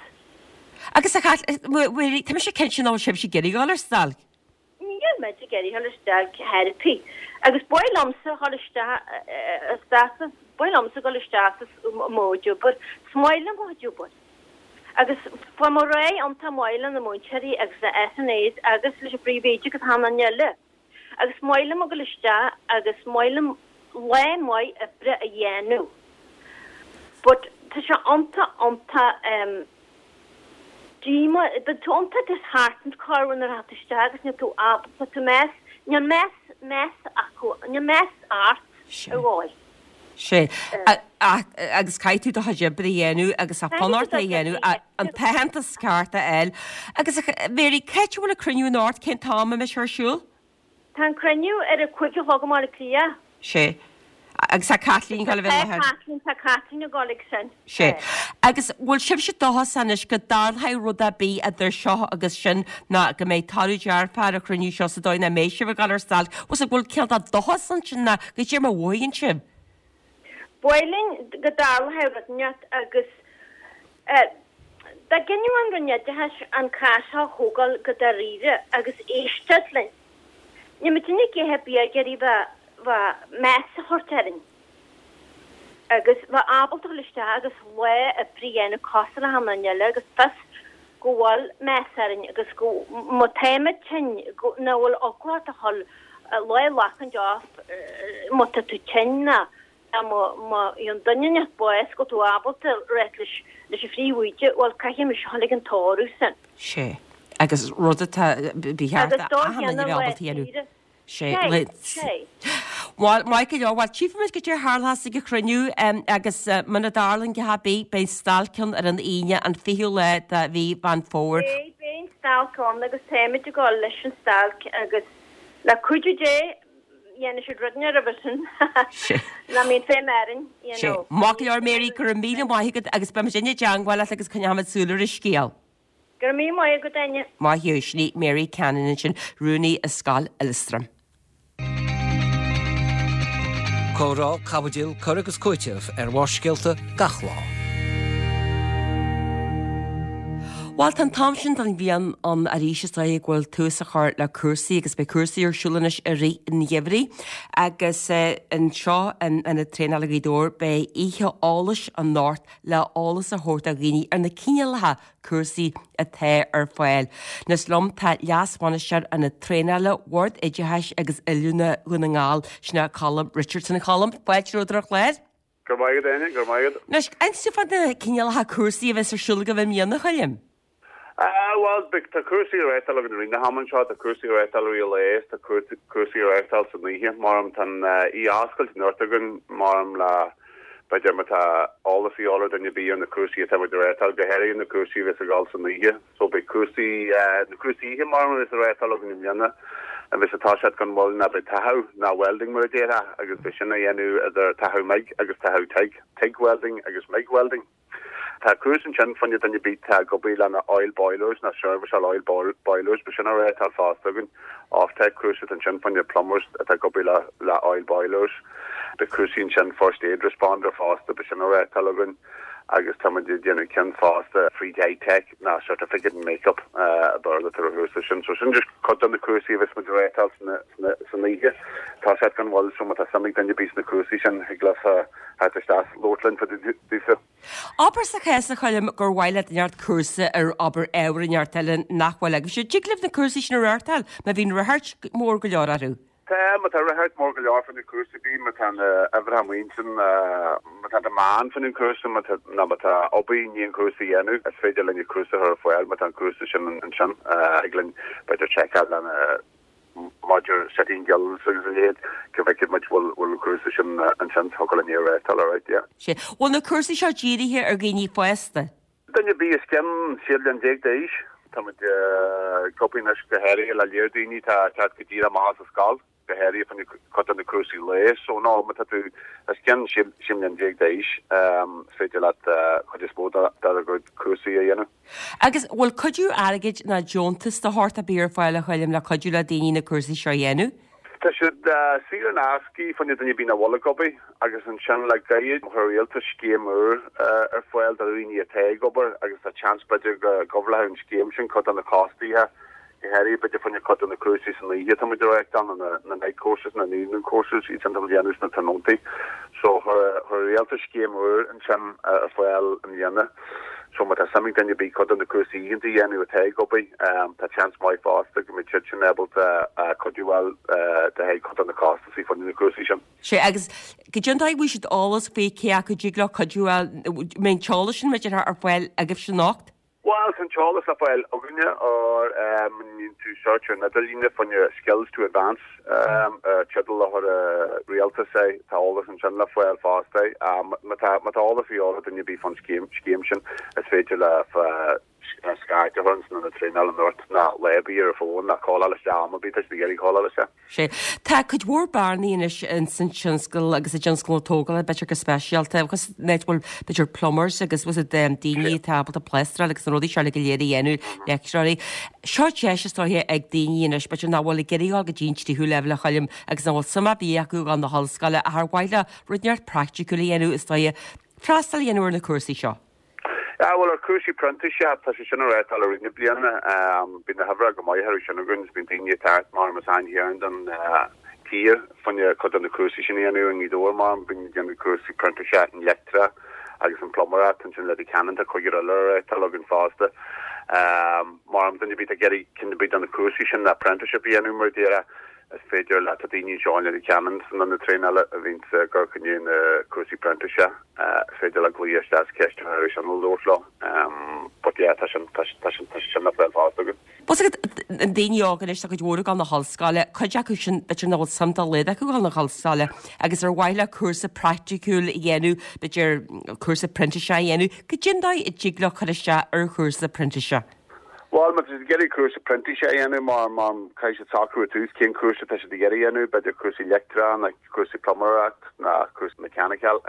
Agus a Mháire, tá mise cinnte nach bhfuil sibhse ag iarraidh dul ar stailc. Níl muid ag iarraidh dul ar stailc ar bith. Agus ba mhaith liomsa dhul isteach, isteach sa, ba mhaith liomsa dhul isteach sa mo chuid obair. Is maith liom mo chuid obair. Agus fuair mé réidh iontach maith le na múinteoirí agus na SNAs agus leis an bpríomhoide agus achan duine eile. Agus maith liom a dhul isteach agus maith liom lá maith oibre a dhéanamh. But tá sé iontach, iontach em díomá, bíonn tú iontach disheartened corruair nuair atá tú isteach agus níl tú ábalta, tá tú meas, níl meas, meas acu, níl meas ort ar dhóigh. Sea. Agus caithfidh tú do chuid oibre a dhéanamh agus tá fonn ort é a dhéanamh, an t-aitheantas ceart a fháil. Agus a Mary, cá háit a bhfuil an cruinniú anocht, cén t-am a mbeidh sé ar siúl? Tá an cruinniú ar a cúig a chlog i mBaile Átha Cliath. Sea. Agus tá Caitlín ag dul a bheith i láthair. Tá Caitlín, tá Caitlín ag dul ag sin. Sea. Agus bhfuil sibhse dóchasach anois go dtarlóidh rud ar bith idir seo agus sin ná go mbeidh toradh dearfach ar an chruinniú seo sa dóigh nach mbeidh sibh ag dul ar stailc? Bhfuil bhfuil cineál de dóchas ansin ná goidé mar a mhothaíonn sibh? Ba mhaith linn go dtarlódh rud inteacht agus dá gcinneadh an Roinn Oideachais an cás seo a thógáil go dáiríre agus éisteacht linn. Níl muidinne a dhath ar bith ag iarraidh bheith bheith meas a thabhairt orainn agus bheith ábalta dhul isteach agus lá oibre a dhéanamh cosúil le achan duine eile agus fios go bhfuil meas orainn agus go má táimid tinn go nach bhfuil eagla ort a dhul Lá a ghlacaint off má tá tú tinn ná má má bhíonn duine inteacht bás go bhfuil tú ábalta rith leis leis an phríomhoide, bhuel caithfidh mise dhul ag an tórramh sin. Sé. Agus rud atá ba cheart Agus dá achan duine a cheann bheith lá ábalta a dhéanamh. saoire. Sé. Sé. Le. Sé. Bhuel, maith go leor, bhuel tchífimid goidé a tharlós ag an chruinniú agus muna dtarlaíonn a dhath ar bith, beidh stailc ann ar an Aoine an fichiú lá de mhí Mheán Fómhair. Beidh, beidh an stailc ann agus táimid ag dul leis an stailc agus le cuidiú Dé dhéanfaidh siad rud inteacht roimhe sin Sé. nach mbíonn feidhm orainn, you Sé. know. Maith go leor Mary, go raibh míle maith agat agus beimid i dteangmháil leat agus coinneoimid súil ar an scéal. Go raibh míle maith agat, Áine. Maith thú, sin í Mary Cannon ansin, rúnaí i Scoil Illistrin. Comhrá, caibidil, cur agus cúiteamh ar Bharrscéalta gach lá. Bhuel, tá an t-am sin den bhliain ann arís is dóigh go bhfuil tús á chur le cúrsaí agus beidh cúrsaí ar siúl anois i rith an gheimhridh agus anseo in Ionad Traenála Ghaoth Dobhair beidh oíche eolais anocht le eolas a thabhairt do dhaoine ar na cineálacha cúrsaí atá ar fáil. Anois liom tá Leas-Bhainisteoir Ionad Traenála Bhord Oideachais agus Oiliúna Dhún na nGall, sin é Colm Richardson. A Choilm, fáilte romhat ar an chlár. Go raibh maith agat, Áine, go raibh maith agat. Anois, inis dúinn fá na cineálacha cúrsaí a bheas ar siúl agaibh i mbliana, a Choilm. Ah, bhuel, beidh, tá cúrsaí á reáchtáil againn i rith na hama anseo, tá cúrsaí á reáchtáil i rith an lae is tá cúrsaí á reáchtáil san oíche, mar tá an oíche oscailte anocht againn, mar le, b'fhéidir má tá eolas a dhíobháil ar duine ar bith ar na cúrsaí atá muid a reáchtáil, go háirithe na cúrsaí a bheas ag dul san oíche. So beidh cúrsaí, na cúrsaí oíche mar a bheas á reáchtáil againn i mbliana, a bheas ag toiseacht gan mhoill ná beidh tathú ná welding mar a déarfá agus beidh sin á dhéanamh idir tathú MIG agus tathú TIG, TIG welding agus MIG welding. Tá cúrsa ansin fá choinne duine ar bith atá ag obair lena oil boilers ná serviceáil oil boilers, beidh sin á reáchtáil fosta againn. OFTEC cúrsa ansin fá choinne plumbers atá ag obair le le oil boilers. Beidh cúrsaí ansin first aid responder fosta, beidh sin á reáchtáil againn agus tá muid ag déanamh ceann fosta free dye tech ná certificate in make-up a Béarla atá ar an chúrsa sin. So sin just cuid de na cúrsaí a bheas muid a reáchtáil san oíche. Tá siad gan mhoill so má tá suim ag duine ar bith sna cúrsaí sin thig leofa theacht isteach labhairt linn fá dtaobh daofa. Abair sa chás a Choilm gur mhaith le duine inteacht cúrsa ar obair ábhar inteacht eile nach bhfuil agaibhse. Dtig libh na cúrsaí sin a reáchtáil má bhíonn ráchairt mór go leor orthu? Tá, má tá ráchairt mór go leor fá na cúrsaí bíonn, má tá na uimhreacha amuigh ansin, má tá demand fá na cúrsa, má tá, nó má tá obair i ndiaidh an cúrsa a dhéanamh, is féidir linn an cúrsa a chur ar fáil má tá an cúrsa sin ansin. Thig linn b'fhéidir seiceáil lena maidir City and Guilds agus a leithéid, go bhfeicfidh muid bhfuil bhfuil an cúrsa sin ansin, thiocfadh linn é a reáchtáil alright, yeah. Sea. Bhfuil na cúrsaí seo dírithe ar dhaoine fásta? Duine ar bith os cionn sé bliana déag d'aois. Tá muid ag obair anois go háirithe le léir daoine atá ag teacht go díreach amach as an scoil, go háirithe fá choinne cuid de na cúrsaí lae. So no, má tá tú os cionn sé bliana déag d'aois, is féidir leat cuid is mó dár gcuid cúrsaí a dhéanamh. Agus bhfuil cuidiú airgid ná deontas de shórt ar bith ar fáil a Choilm le cuidiú le daoine na cúrsaí seo a dhéanamh? Tá siad saor in aisce fá choinne duine ar bith nach bhfuil ag obair agus ansin le gairid chuir an rialtas scéim úr ar fáil do dhaoine atá ag obair agus tá seans b'fhéidir go gcoverálfadh an scéim sin cuid de na costaithe, go háirithe b'fhéidir fá choinne cuid de na cúrsaí san oíche atá muid a reáchtáil, na na night courses, na evening courses, iad sin atá muid a dhéanamh sna tráthnóntaí. So chuir an rialtas scéim úr ansin ar fáil i mbliana. So má tá suim ag duine ar bith cuid de na cúrsaí oícheanta a dhéanamh atá ag obair, tá seans maith fosta go mbeidh siad sin ábalta cuidiú a fháil le haghaidh cuid de na costasaí fá choinne na cúrsaí sin. Sea, agus goidé an dóigh a bhfaighidh siad eolas faoi cé acu a dtig leo cuidiú a fháil, mbeidh an t-eolas sin b'fhéidir ar fáil agaibhse anocht? Bhuel, tá an t-eolas le fáil againne ar má dhéanann tú search ar an idirlíne fá choinne Skills to Advance, teideal a chuir an rialtas é, tá eolas ansin le fáil fosta. Má tá má tá eolas a dhíobháil ar duine ar bith fán scéim scéim sin, is féidir le scairt a chur ins an ionad traenála anocht ná lá ar bith ar an bhfón ná calláil isteach am ar bith tá siad ag iarraidh calláil isteach. Sea. Tá cuid mhór bearnaí anois ins an tionscal agus i dtionscal na tógála, b'fhéidir go speisialta, agus an áit a bhfuil b'fhéidir plumbers agus was it daoine atá ábalta plástráil agus na rudaí seo uilig go léir a dhéanamh, leictreoirí. Seo deis is dóiche ag daoine anois, b'fhéidir nach bhfuil ag iarraidh dul go dtí an tríú leibhéal a Choilm agus nach bhfuil suim ar bith acu dul na hollscoile ach ar mhaith leo rud inteacht praiticiúil a dhéanamh is dóiche freastal a dhéanamh ar na cúrsaí seo. Ah, bhuel, ar chúrsaí printíseachta, tá sé sin á reáchtáil i rith na bliana. Bíonn na huimhreacha go maith orthu sin againn agus bíonn daoine ag teacht mar as achan chearn den tír fá choinne cuid de na cúrsaí sin a dhéanamh i nGaoth Dobhair mar bíonn ag déanamh cúrsaí printíseachta in leictreach agus an pluiméireacht ansin Leitir Ceanainn tá cúigear eile á reáchtáil againn fosta. Mar duine ar bith atá ag iarraidh ceann ar bith de na cúrsaí sin, apprenticeship a dhéanamh mar a déarfá. Is féidir le tá daoine anseo in Leitir Ceanainn san ionad traenála a bhíonns ag cur chun na cúrsaí printíseach. Is féidir le glaoch isteach is ceist a chur ar sin nó labhairt leo. But yeah, tá sin tá tá sin tá sin le fáil fosta againn. Bhfuil a fhios agat na daoine óga anois tá cuid mhór ag dul na hollscoile, cuid acu sin b'fhéidir nach bhfuil suim dá laghad acu dul na hollscoile agus ar mhaith leo cúrsa praiticiúil a dhéanamh, b'fhéidir cúrsa printíseach a dhéanamh, goidé an dóigh a dtig leo cur isteach ar chúrsa printíseach. Bhuel, má tá siad ag iarraidh cúrsa printíseach a dhéanamh, mar mar caithfidh siad socrú ar tús cén cúrsa atá siad ag iarraidh a dhéanamh, b'fhéidir cúrsaí leictreach nó cúrsaí pluiméireacht nó cúrsa mechanical.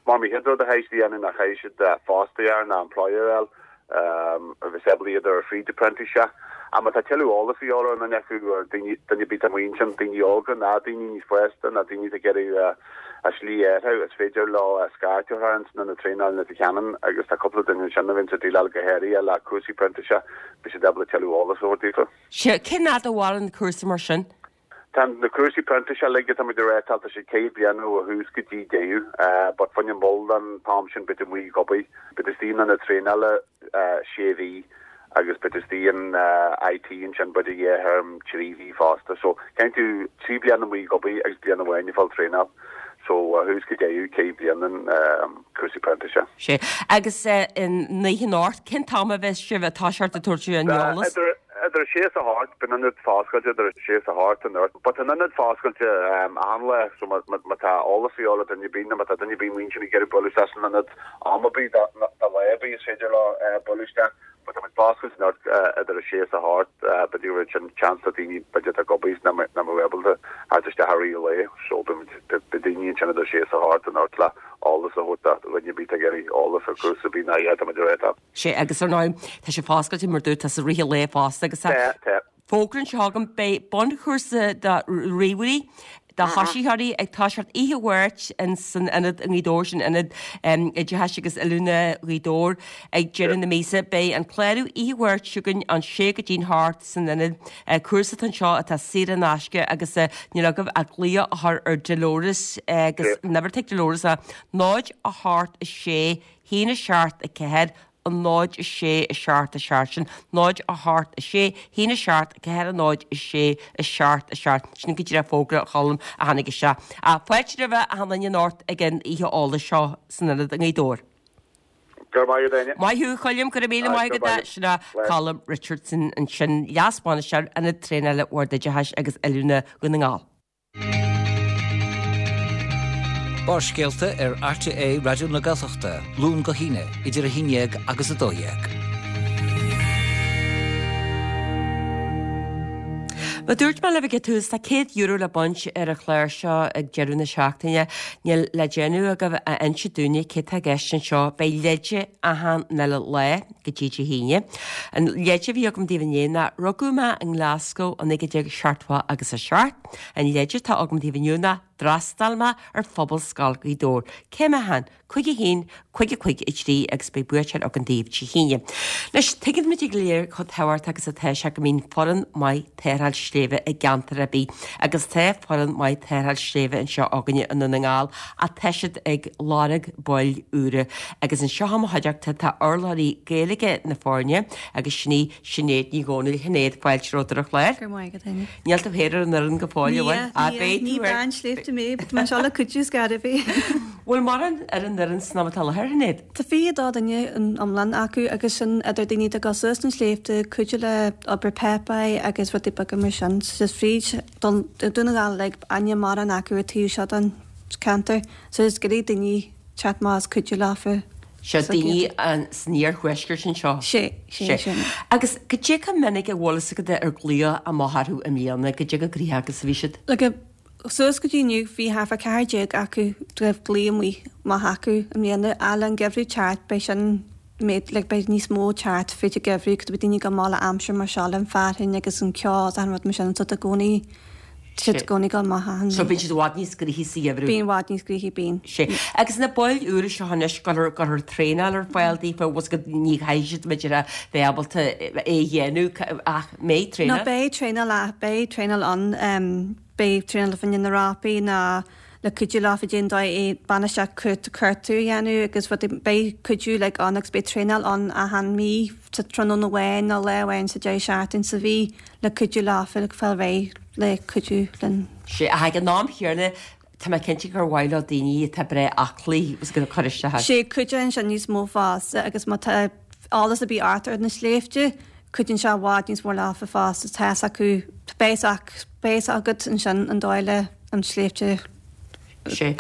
Mar an chéad rud a chaithfidh siad a dhéanamh ná caithfidh siad fostaí nó employer a fháil a bheas ábalta iad a chur fríd an printíseach. Ach má tá tuilleadh eolas a dhíobháil ar dhuine acu, ar daoine, duine ar bith atá amuigh ansin, daoine óga ná daoine níos fásta ná daoine atá ag iarraidh a slí a athrú, is féidir leo scairt a chur orainn san ionad traenála i Leitir Ceanainn agus tá cúpla duine ansin a bhíonns ag déileáil go háirithe le cúrsaí printíseach, beidh siad ábalta tuilleadh eolas a thabhairt daofa. Sea, cén fhad a mhaireann cúrsa mar sin? Tá na cúrsaí printíseach uilig atá muid ag reáchtáil, tá siad ceithre bliana ó thús go dtí deireadh, but fá choinne an bhfuil an t-am sin beidh tú amuigh ag obair, beidh tú istigh in ionad traenála sé mhí agus beidh tú istigh in IT ansin b'fhéidir dhá théarm trí mhí fosta. So caithfidh tú trí bliana amuigh ag obair agus bliain amháin ag fáil traenáil. So ó thús go deireadh ceithre bliana cúrsaí printíseach. Sea. Agus an oíche anocht, cén t-am a bheas sibh ag toiseacht ag tabhairt an eolas? Idir idir a sé is a hocht, bíonn an ionad foscailte idir a sé is a hocht anocht. But tá an ionad foscailte achan lá so má má tá eolas a dhíobháil ar duine ar bith nó má tá duine ar bith amuigh ansin ag iarraidh bualadh isteach san ionad am ar bith de lá ar bith is féidir leo bualadh isteach. But tá muid foscailte anocht idir a sé is a hocht, b'fhéidir go bhfuil sin chance do daoine b'fhéidir atá ag obair is nach mbeadh ábalta theacht isteach i rith an lae. So beidh beidh daoine ansin idir a sé is a hocht anocht le eolas a thabhairt do dhuine ar bith atá ag iarraidh eolas ar chúrsa ar bith ná yeah tá muid ag réiteach. Sea, agus ar ndóigh tá sé foscailte mar dúirt tú i rith an lae fosta agus tá Tá, tá. fógra anseo agam beidh bunchúrsa do ríomhairí do thosaitheoirí ag toiseacht oíche Mháirt in san ionad i nGaoth Dobhair, sin ionad oideachais agus oiliúna Ghaoth Dobhair ag deireadh na míosa. Beidh an clárú oíche Mháirt seo chugainn ón sé go dtí'n hocht san ionad. Cúrsa atá anseo atá saor in aisce agus níl agaibh ach glaoch a chur ar Dolores agus an uimhir atá ag Dolores ná náid a hocht a sé haon a seacht a ceathair a náid a sé a seacht a seacht sin náid a hocht a sé haon a seacht ceathair a náid a sé a seacht a seacht sin go díreach fógra Cholm a tháinig isteach. Fáilte roimh achan duine anocht ag an oíche eolais seo san ionad i nGaoth Dobhair. Go raibh maith agat, Áine. Maith thú, Choilm, go raibh míle maith agat. Sin é Colm Richardson ansin, leas-bhainisteoir Ionad Traenála Bhord Oideachais agus Oiliúna Dhún na nGall. Barrscéalta ar RTÉ Raidió na Gaeltachta, Luan go hAoine, idir a haon déag agus a dó dhéag. Mar dúirt mé libh ag an tús tá céad euro le baint ar an chlár seo ag deireadh na seachtaine. Níl le déanamh agaibh ach inse dúinne cé tá i gceist anseo. Beidh leide achan uile lá go dtí Dé hAoine. An leide a bhí agam daoibh inné ná rugadh mé i nGlasgow i naoi déag seachtó agus a seacht. An leide atá agam daoibh inniu ná d'fhreastail mé ar Phobalscoil Ghaoth Dobhair. Cé mé féin? Cúig a haon, cúig a cúig a trí agus beidh buaiteoir againn daoibh Dé hAoine. Anois, tuigeann muid go léir chomh tábhachtach agus atá sé go mbíonn foireann maith tarrtháil sléibhe i gceantar ar bith agus tá foireann maith tarrtháil sléibhe anseo againne i nDún na nGall ach tá siad ag lorg baill úra agus anseo i mo chuideachta tá urlabhraí Gaeilge na foirne agus sin í Sinéad Ní Dhomhnaill. Sinéad, fáilte romhat ar an chlár. Go raibh maith agat, Áine. Níl tú féin ar an fhoireann go fóill, an bhfuil? Níl, níl, ní bean sléibhte mé, but tá mé anseo le cuidiú is gar a bheith. Bhfuil mórán ar an fhoireann san am atá i láthair, Sinéad? Tá fiche a dó duine in iomlán acu agus sin idir daoine atá ag dul suas na sléibhte, cuidiú le obair páipéir agus rudaí beaga mar sin. So just fríd Dún na nGall uilig, níl mórán acu ar taobh seo den cheantar. So just ag iarraidh daoine teacht amach is cuidiú leofa. Seo daoine san iarthuaisceart anseo. Sé, sé, sé. Agus goidé chomh minic a bhfuil fhios agat ar glaodh amach orthu i mbliana, goidé chomh gnoitheach agus a bhí siad? Like, suas go dtí inniu bhí thart fá ceathair déag acu go raibh glaoch amuigh amach acu i mbliana. Ach le an geimhreadh teacht beidh sin méid, like, beidh níos mó teacht fríd an geimhreadh 'cause beidh daoine ag dul amach le aimsir mar seo le an fearthainn agus an ceo is achan rud mar sin so tá i gcónaí tá siad i gcónaí ag dul amach achan So bíonn siad i bhfad níos gnoithí sa gheimhreadh? Bíonn i bhfad níos gnoithí, bíonn. Sé. Agus na baill úra seo anois, cuirfear, cuirfear traenáil ar fáil daofa, bhfuil fhios agat ní chaithfidh siad b'fhéidir a bheith ábalta é a dhéanamh ach mbeidh No traenáil? beidh traenáil, beidh traenáil ann. Beidh traenáil fá choinne na rópaí ná le cuidiú leofa cén dóigh é bainistíocht cuartú a dhéanamh agus rudaí. Beidh cuidiú like ann agus beidh traenáil ann achan mí sa tráthnóna amháin nó lá amháin sa deireadh seachtain sa mhí le cuidiú leofa le fáil réidh le cuidiú linn. Sea, ach ag an am chéanna, tá mé cinnte gur mhaith leo daoine atá breá aclaí agus go cur isteach air. Sea, cuidíonn sin níos mó fosta agus má tá eolas ar bith ort ar na sléibhte, cuidíonn sé i bhfad níos mó leofa fosta, tá fhios acu, beidh fhios agat ansin an dóigh le an sléibhte Sea.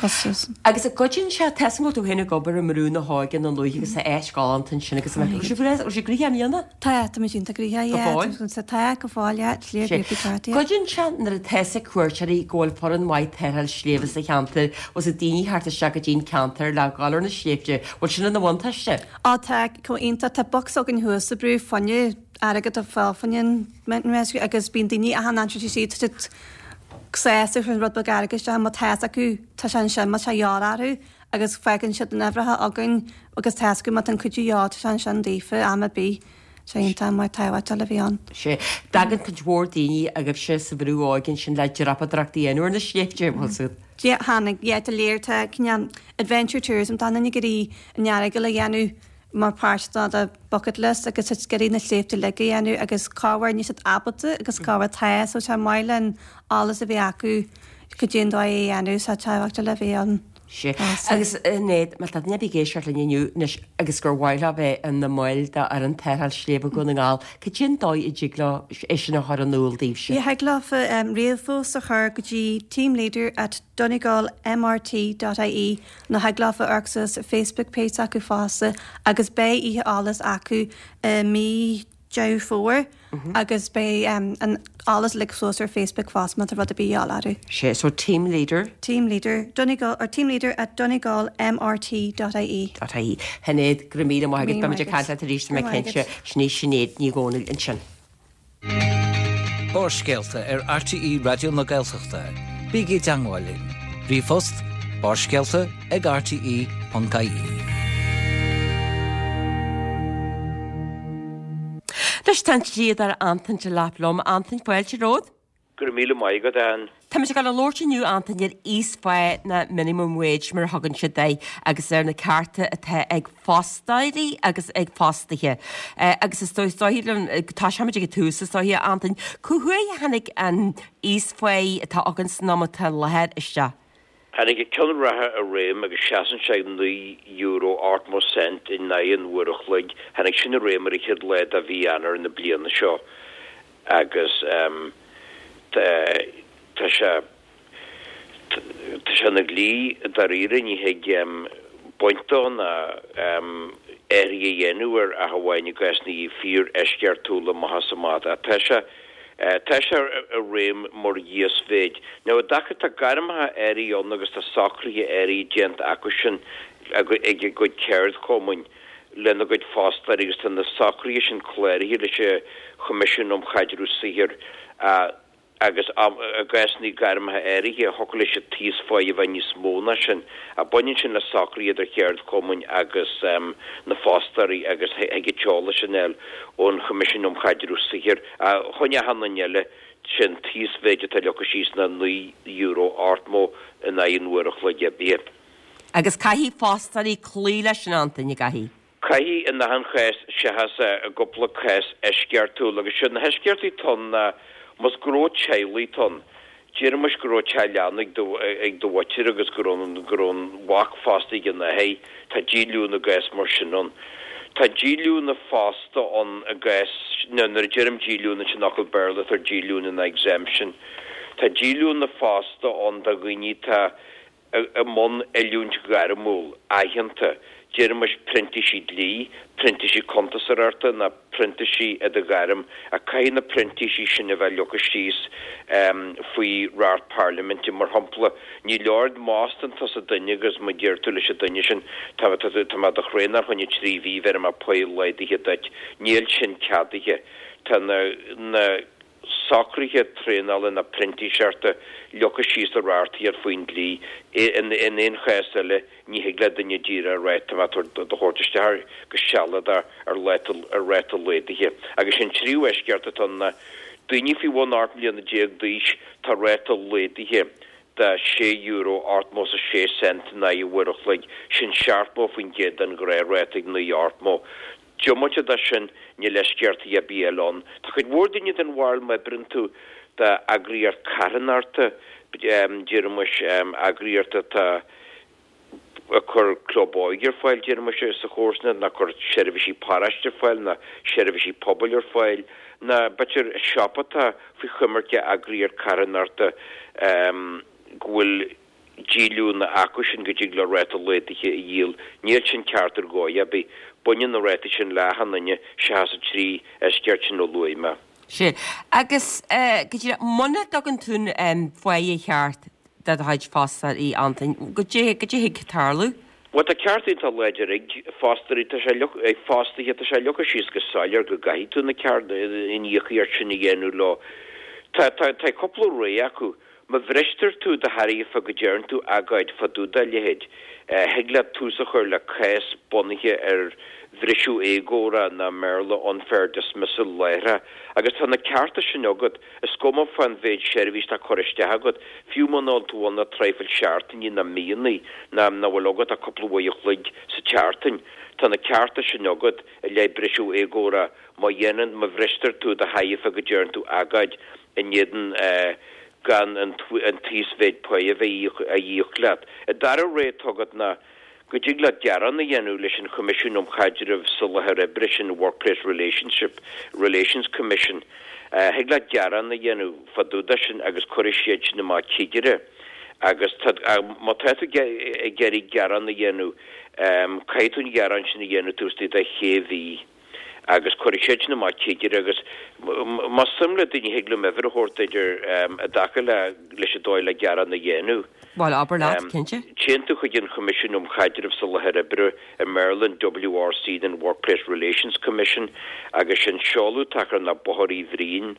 Agus an gcuidíonn sé, tá 'fhios agam go bhfuil tú féin ag obair i mBrú na hÓige na luaithe agus tá áit ghalánta ansin agus an bhfuil sibh bhfuil sibh gnoitheach i mbliana? Tá, tá muid iontach gnoitheach, Go fóill? yeah. Tá, go fóill, yeah. Sliabh Sea. Grúpaí Ceart, yeah. Cuidíonn sé nuair atá 'fhios ag cuairteoirí go bhfuil foireann mhaith tarrtháil sléibhe sa cheantar, bhfuil 'fhios ag daoine theacht isteach go dtí an ceantar le dhul ar na sléibhte, bhfuil sin ina bhuntáiste? Á tá, chomh iontach, tá box againn thuas sa brú fá choinne airgead a fáil fá choinne an Mountain Rescue agus bíonn daoine achan aimsir siad tá siad sásta chun rud beag airgid isteach má tá 'fhios acu tá sé ansin má tá sé de dhíth orthu agus fágann siad na n-uimhreacha againn agus tá 'fhios acu má tá an cuidiú de dhíth tá sé ansin daofa am ar bith. Sé iontach mar tábhachtach le bheith ann. Sea. Tagann cuid mhór daoine agaibhse sa Bhrú Óige ansin le dreapadóireacht a dhéanamh ar na sléibhte, bhfuil 'fhios agat. Yeah, tháinig, yeah, de léir tá cineál adventure tourism tá daoine ag iarraidh an Earagail a dhéanamh mar páirt de do bucket list agus tá siad ag iarraidh na sléibhte uilig a dhéanamh agus corruair níl siad ábalta agus corruair tá so tá maith linn eolas a bheith acu cad é an dóigh é a dhéanamh so tábhachtach le bheith ann. Sea. Agus a Shinéad, má tá duine ar bith ag éisteacht linn inniu anois agus gur mhaith leo bheith ina mbaill d'fhoireann tarrtháil sléibhe Dhún na nGall, cad é an dóigh a dtig leo é sin a chur in iúl daoibhse? Yeah, thig leofa ríomhphost a chur go dtí teamleader at donegalmrt dot ie nó thig leofa amharc suas ar Facebook page s'acu fosta agus beidh oíche eolais acu i mí Deireadh Fómhair agus beidh an eolas uilig suas ar Facebook fosta má tá rud ar bith de dhíobháil orthu. Sea, so team leader. Team leader, Donegal, or team leader at donegalmrt dot ie. Dot ie. Shinéad, go raibh míle maith agat, beimid ag caint leat arís, tá mé cinnte. Sin í Sinéad Ní Dhomhnaill ansin. Barrscéalta ar RTÉ Raidió na Gaeltachta. Bígí i dteagmháil linn. Ríomhphost, barrscéalta ag rte ponc ie. Anois tá an dlíodóir Antain Delap liom. Antain, fáilte romhat. Go raibh míle maith agat, Ann. Táimid ag dul a labhairt inniu, Antain, ar íosphá nó minimum wage mar a thugann siad air agus ar na cearta atá ag fostóirí agus ag fostaithe. Agus is dóigh liom, tosóimid ag an tús is dóiche, Antain, cá huair a tháinig an íosphá atá againn san am atá i láthair isteach? Tháinig an ceann reatha i réim agus seasann sé ag naoi euro ochtó cent in aghaidh an uair a chloig. Tháinig sin i réim ar an chéad lá de mhí Eanáir na bliana seo agus tá sé tá sé ina dhlí dáiríre, ní thig baint dó ná athruithe a dhéanamh air ach amháin i gcásanna fíor-eisceachtúla amach is amach. Ach tá sé tá sé i réim mar íosmhéid. Now i dtaca tá gairmeacha áirithe ann agus tá socruithe áirithe déanta acu sin ag a gcuid ceardchumainn lena gcuid fostóirí agus tá na socruithe sin cláraithe leis an Choimisiún um Chaidreamh Saothair agus i gcásanna gairmeacha áirithe thiocfadh leis an t-íosphá a bheith níos mó ná sin. Baineann sin le socruithe idir cheardchumainn agus na fostóirí agus thig an t-eolas sin a fháil ón Choimisiún um Chaidreamh Saothair. Chun achan duine eile, sin t-íosmhéid atá leagtha síos ná naoi euro ochtó in aghaidh an uair a chloig oibre. Agus caithfidh fostóirí cloí leis sin, Antain, an gcaithfidh? Caithfidh in achan chás seachas i gcúpla cás eisceachtúil. Agus siad na heisceachtaí atá ann ná más gnó teaghlaigh atá ann, déarfaimis go raibh teach leanna ag do ag do mhuintir agus go raibh an go raibh an mhac fostaithe ag an athair, tá díolúine i gcás mar sin ann. Tá díolúine fosta ann i gcás, nó nuair a deirim díolúine sin fhocal Béarla atá ar díolúine ná exemption. Tá díolúine fosta ann do dhaoine atá i mbun oiliúint ghairmiúil aitheanta, déarfaimis printísigh dlí, printísigh cuntasóireachta nó printísigh i do ghairm, ach caithfidh na printísigh sin a bheith leagtha síos faoi reacht parlaiminte. Mar shampla, ní leor má fhostaíonn tusa duine agus má deir tú leis an duine sin tá tá tá mé do thraenáil fá choinne trí mhí, bhéarfaidh mé pá laghdaithe duit. Níl sin ceadaithe. Tá na na. socruithe traenála nó printíseachta leagtha síos i reachtaíocht faoin dlí. In aon chás eile, ní thig le duine díreach a rá tá mé ag do thabhairt isteach go sealadach ar ráta laghdaithe. Agus sé an tríú eisceacht atá ann ná daoine faoi bhun ocht mbliana déag d'aois, tá ráta laghdaithe de sé euro ochtó is a sé cent in aghaidh an uair a chloig, sin seachtó faoin gcéad den ghnáthráta ag naoi ochtó. Diomaite de sin, níl eisceachtaí ar bith eile ann. Tá cuid mhór daoine den bharúil má oibríonn tú d'eagraíocht carthanachta, déarfaimis eagraíocht atá ag cur club óige ar fáil, déarfaimis, sa chomharsanacht, nó ag cur seirbhísí paróiste ar fáil, nó seirbhísí pobail ar fáil, nó b'fhéidir siopa atá faoi choimirce eagraíocht carthanachta go bhfuil díolúine acu sin go dtig leo ráta laghdaithe a dhíol. Níl sin ceart ar dhóigh ar bith. Baineann na rátaí sin le achan duine seachas an trí eisceacht sin a luaigh mé. Sea. Agus go díreach, muna dtugann tú an pháighe cheart do do chuid fostóirí, Antain, goidé goidé thig tarlú? Bhuel, tá ceart iontach láidir ag fostóirí, tá sé ag fostaithe, tá sé leagtha síos go soiléir go gcaithfidh tú na ceart, an íocaíocht sin a dhéanamh leo. Tá, tá, tá cúpla rogha acu. Má bhristear tú de thairbhe go deireann tú agóid fá dtaobh dá leithéid, thig leat tús a chur le cás bunaithe ar bhriseadh éagórach nó i mBéarla unfair dismissal láithreach. Agus tá na cearta sin agat, is cuma fán mhéid seirbhís atá curtha isteach agat, fiú muna bhfuil tú ann ach traidhfil seachtainí nó míonna nó nach bhfuil agat ach cúpla uair a chloig sa tseachtain, tá na cearta sin agat i leith briseadh éagórach má dhéanann, má bhristear tú de thairbhe go deireann tú agóid in éadan gan an t-íosmhéid páí a bheith á íoc leat. An dara rogha atá agat ná go dtig leat gearán a dhéanamh leis an Choimisiún um Chaidreamh sa Láthair Oibre, sin Workplace Relationship Relations Commission. Thig leat gearán a dhéanamh fá dtaobh de sin agus cuirfidh siad sin amach cigire. Agus má tá tú ag iarraidh gearán a dhéanamh, caithfidh tú an gearán sin a dhéanamh taobh istigh de shé mhí. agus cuirfidh siad sin amach cigire agus más suim le daoine thig liom uimhir a thabhairt duit i dtaca le leis an dóigh le gearán a dhéanamh. Bhuel, abair leat, cinnte. Téann tú chuig an Choimisiún um Chaidreamh sa Láthair Oibre, i mBéarla an WRC an Workplace Relations Commission, agus sin seoladh atá acu ná Bóthar Uí Bhriain,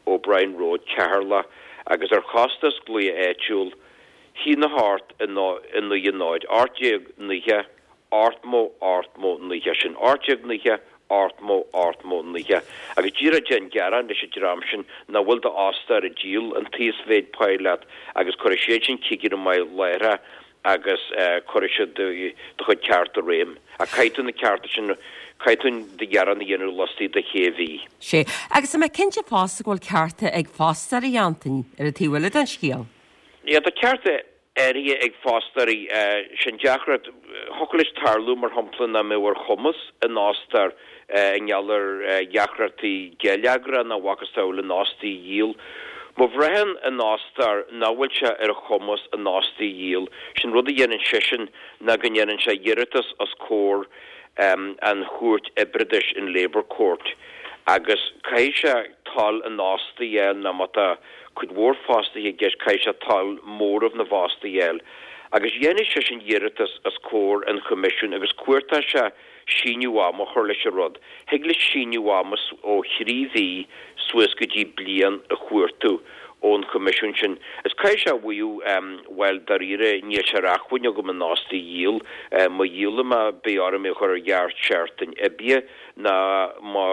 O'Brien Road, Ceatharlach, agus ar chostas glaoch áitiúil, haon a hocht a naoi a náid, ocht déag naocha, ochtmó, ochtmó, naocha, sin ocht déag naocha, ochtmó, ochtmó, naocha. Agus díreach déan gearán leis an dream sin nach bhfuil d'fhostóir ag díol an t-íosmhéid páí leat agus cuirfidh siad sin cigire amach láithreach agus cuirfidh siad do chuid ceart i réim. Ach caithfidh tú na cearta sin, caithfidh tú do ghearán a dhéanamh laistigh de shé mhí. Sea. Agus tá mé cinnte fosta go bhfuil cearta ag fostóirí, Antain, ar an taobh eile den scéal. Yeah, tá cearta áirithe ag fostóirí. Sin deacracht. Thiocfadh leis tarlú, mar shampla, nach mbeadh ar chumas an fhostóir i ngeall ar dheacrachtaí geilleagracha nó a mhacasamhail an fhostaí a dhíol. Má bhraitheann an fhostóir nach bhfuil sé ar a chumas an fhostaí a dhíol, sin rud a dhéanann seisean ná go ndéanann sé iarratas os comhair an Chúirt Oibreachais, an Labour Court, agus caithfidh sé toil an fhostaí a fháil nó má tá cuid mhór fostaithe i gceist, caithfidh sé toil móramh na bhfostaithe a fháil. Agus dhéanfaidh seisean iarratas os comhair an Choimisiúin agus cuartóidh sé síneadh ama a chur leis an rud. Thig leis síneadh ama ó thrí mhí suas go dtí bliain a chuartú ón Choimisiún sin. Is caithfidh sé a mhaíomh, bhuel, dáiríre, níl sé ar acmhainn agam an fhostaí a dhíol. Má dhíolaim é, beidh orm é a chur ar ghearrsheachtain oibre ná má,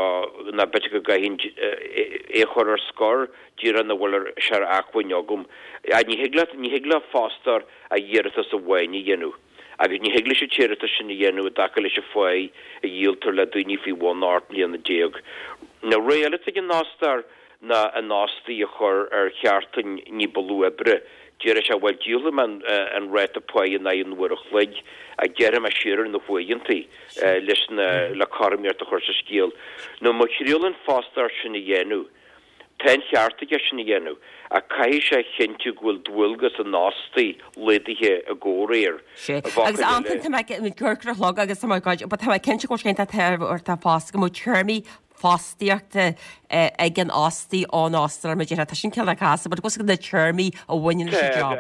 ná b'fhéidir go gcaithfinn é a chur ar scor. Díreach nach bhfuil sé ar acmhainn agam. Ní thig leat, ní thig le fostóir ach iarratas amháin a dhéanamh. Agus ní thig leis an t-iarratas sin a dhéanamh i dtaca leis an pháí a dhíoltar le daoine faoi bhun ocht mbliana déag. Nó rogha eile atá ag an fhostóir ná an fhostaí a chur ar sheachtain ní ba lú oibre. Déarfaidh sé, bhuel, díolfaidh mé an ráta páí in aghaidh an uair a chloig ach gearrfaidh mé siar ar na huaireantaí leis na, le cothromaíocht a chur sa scéal. Nó má thriaileann fostóir sin a dhéanamh, Tá an cheart aige sin a dhéanamh, ach caithfidh sé a chinntiú go bhfuil dualgas an fhostaí laghdaithe i gcomhréir. Sea. Agus Antain, tá mé ag cur ar chlog agus tá mé ag but tá mé cinnte go bhfuil sé iontach tábhachtach fosta go mbeadh téarmaí fostaíochta ag an fhostaí ón fhostóir mar a déarfá, tá sin cineál casta, but go na téarmaí a bhaineann leis an job.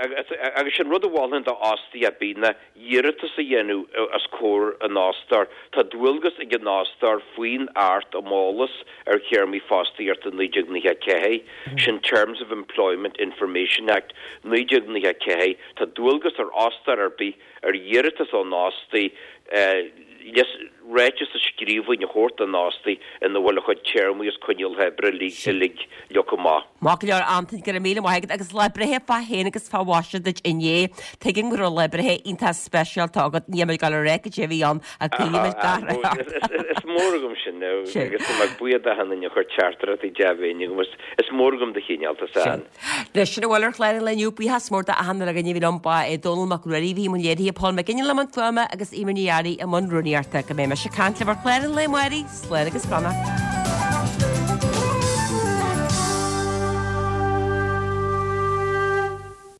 Agus sin rud a mholfainn do fhostaí ar bith ná iarratas a dhéanamh os comhair an fhostóir. Tá dualgas ag an fhostóir faoin Acht um Eolas ar Théarmaí Fostaíochta naoi déag nócha a ceathair, sin Terms of Employment Information Act naoi déag nócha a ceathair, tá dualgas ar fhostóir ar bith ar iarratas ón fhostaí ráiteas i scríbhinn a thabhairt don fhostaí ina bhfuil a chuid téarmaí is coinníollacha oibre uilig uilig leagtha amach. Maith go leor Antain, go raibh míle maith agat agus lá breithe fá shéan agus fá mhaise duit inné. Tuigim go raibh lá breithe iontach speisialta agat, níl mé ag dul a rá cad é a bhí ann ach coinneoidh muid gach rath ort. Is mór agam sin agus tá mé buíoch d'achan duine a chuir teachtaireachtaí dea-mhéine chugam. Is mór agam do chineáltas, a Ann. Leis sin a bhfuil ar chlár an lae inniu, buíochas mór d'achan duine againn a bhí liom, ba é Dónall Mac Ruairí a bhí i mbun léirithe, Paul McGinley i mbun fuaime agus Eimear Ní Fhearraigh i mbun rúnaíochta. Go mbeidh mise ag caint libh ar chlár an lae amárach, slán agus beannacht.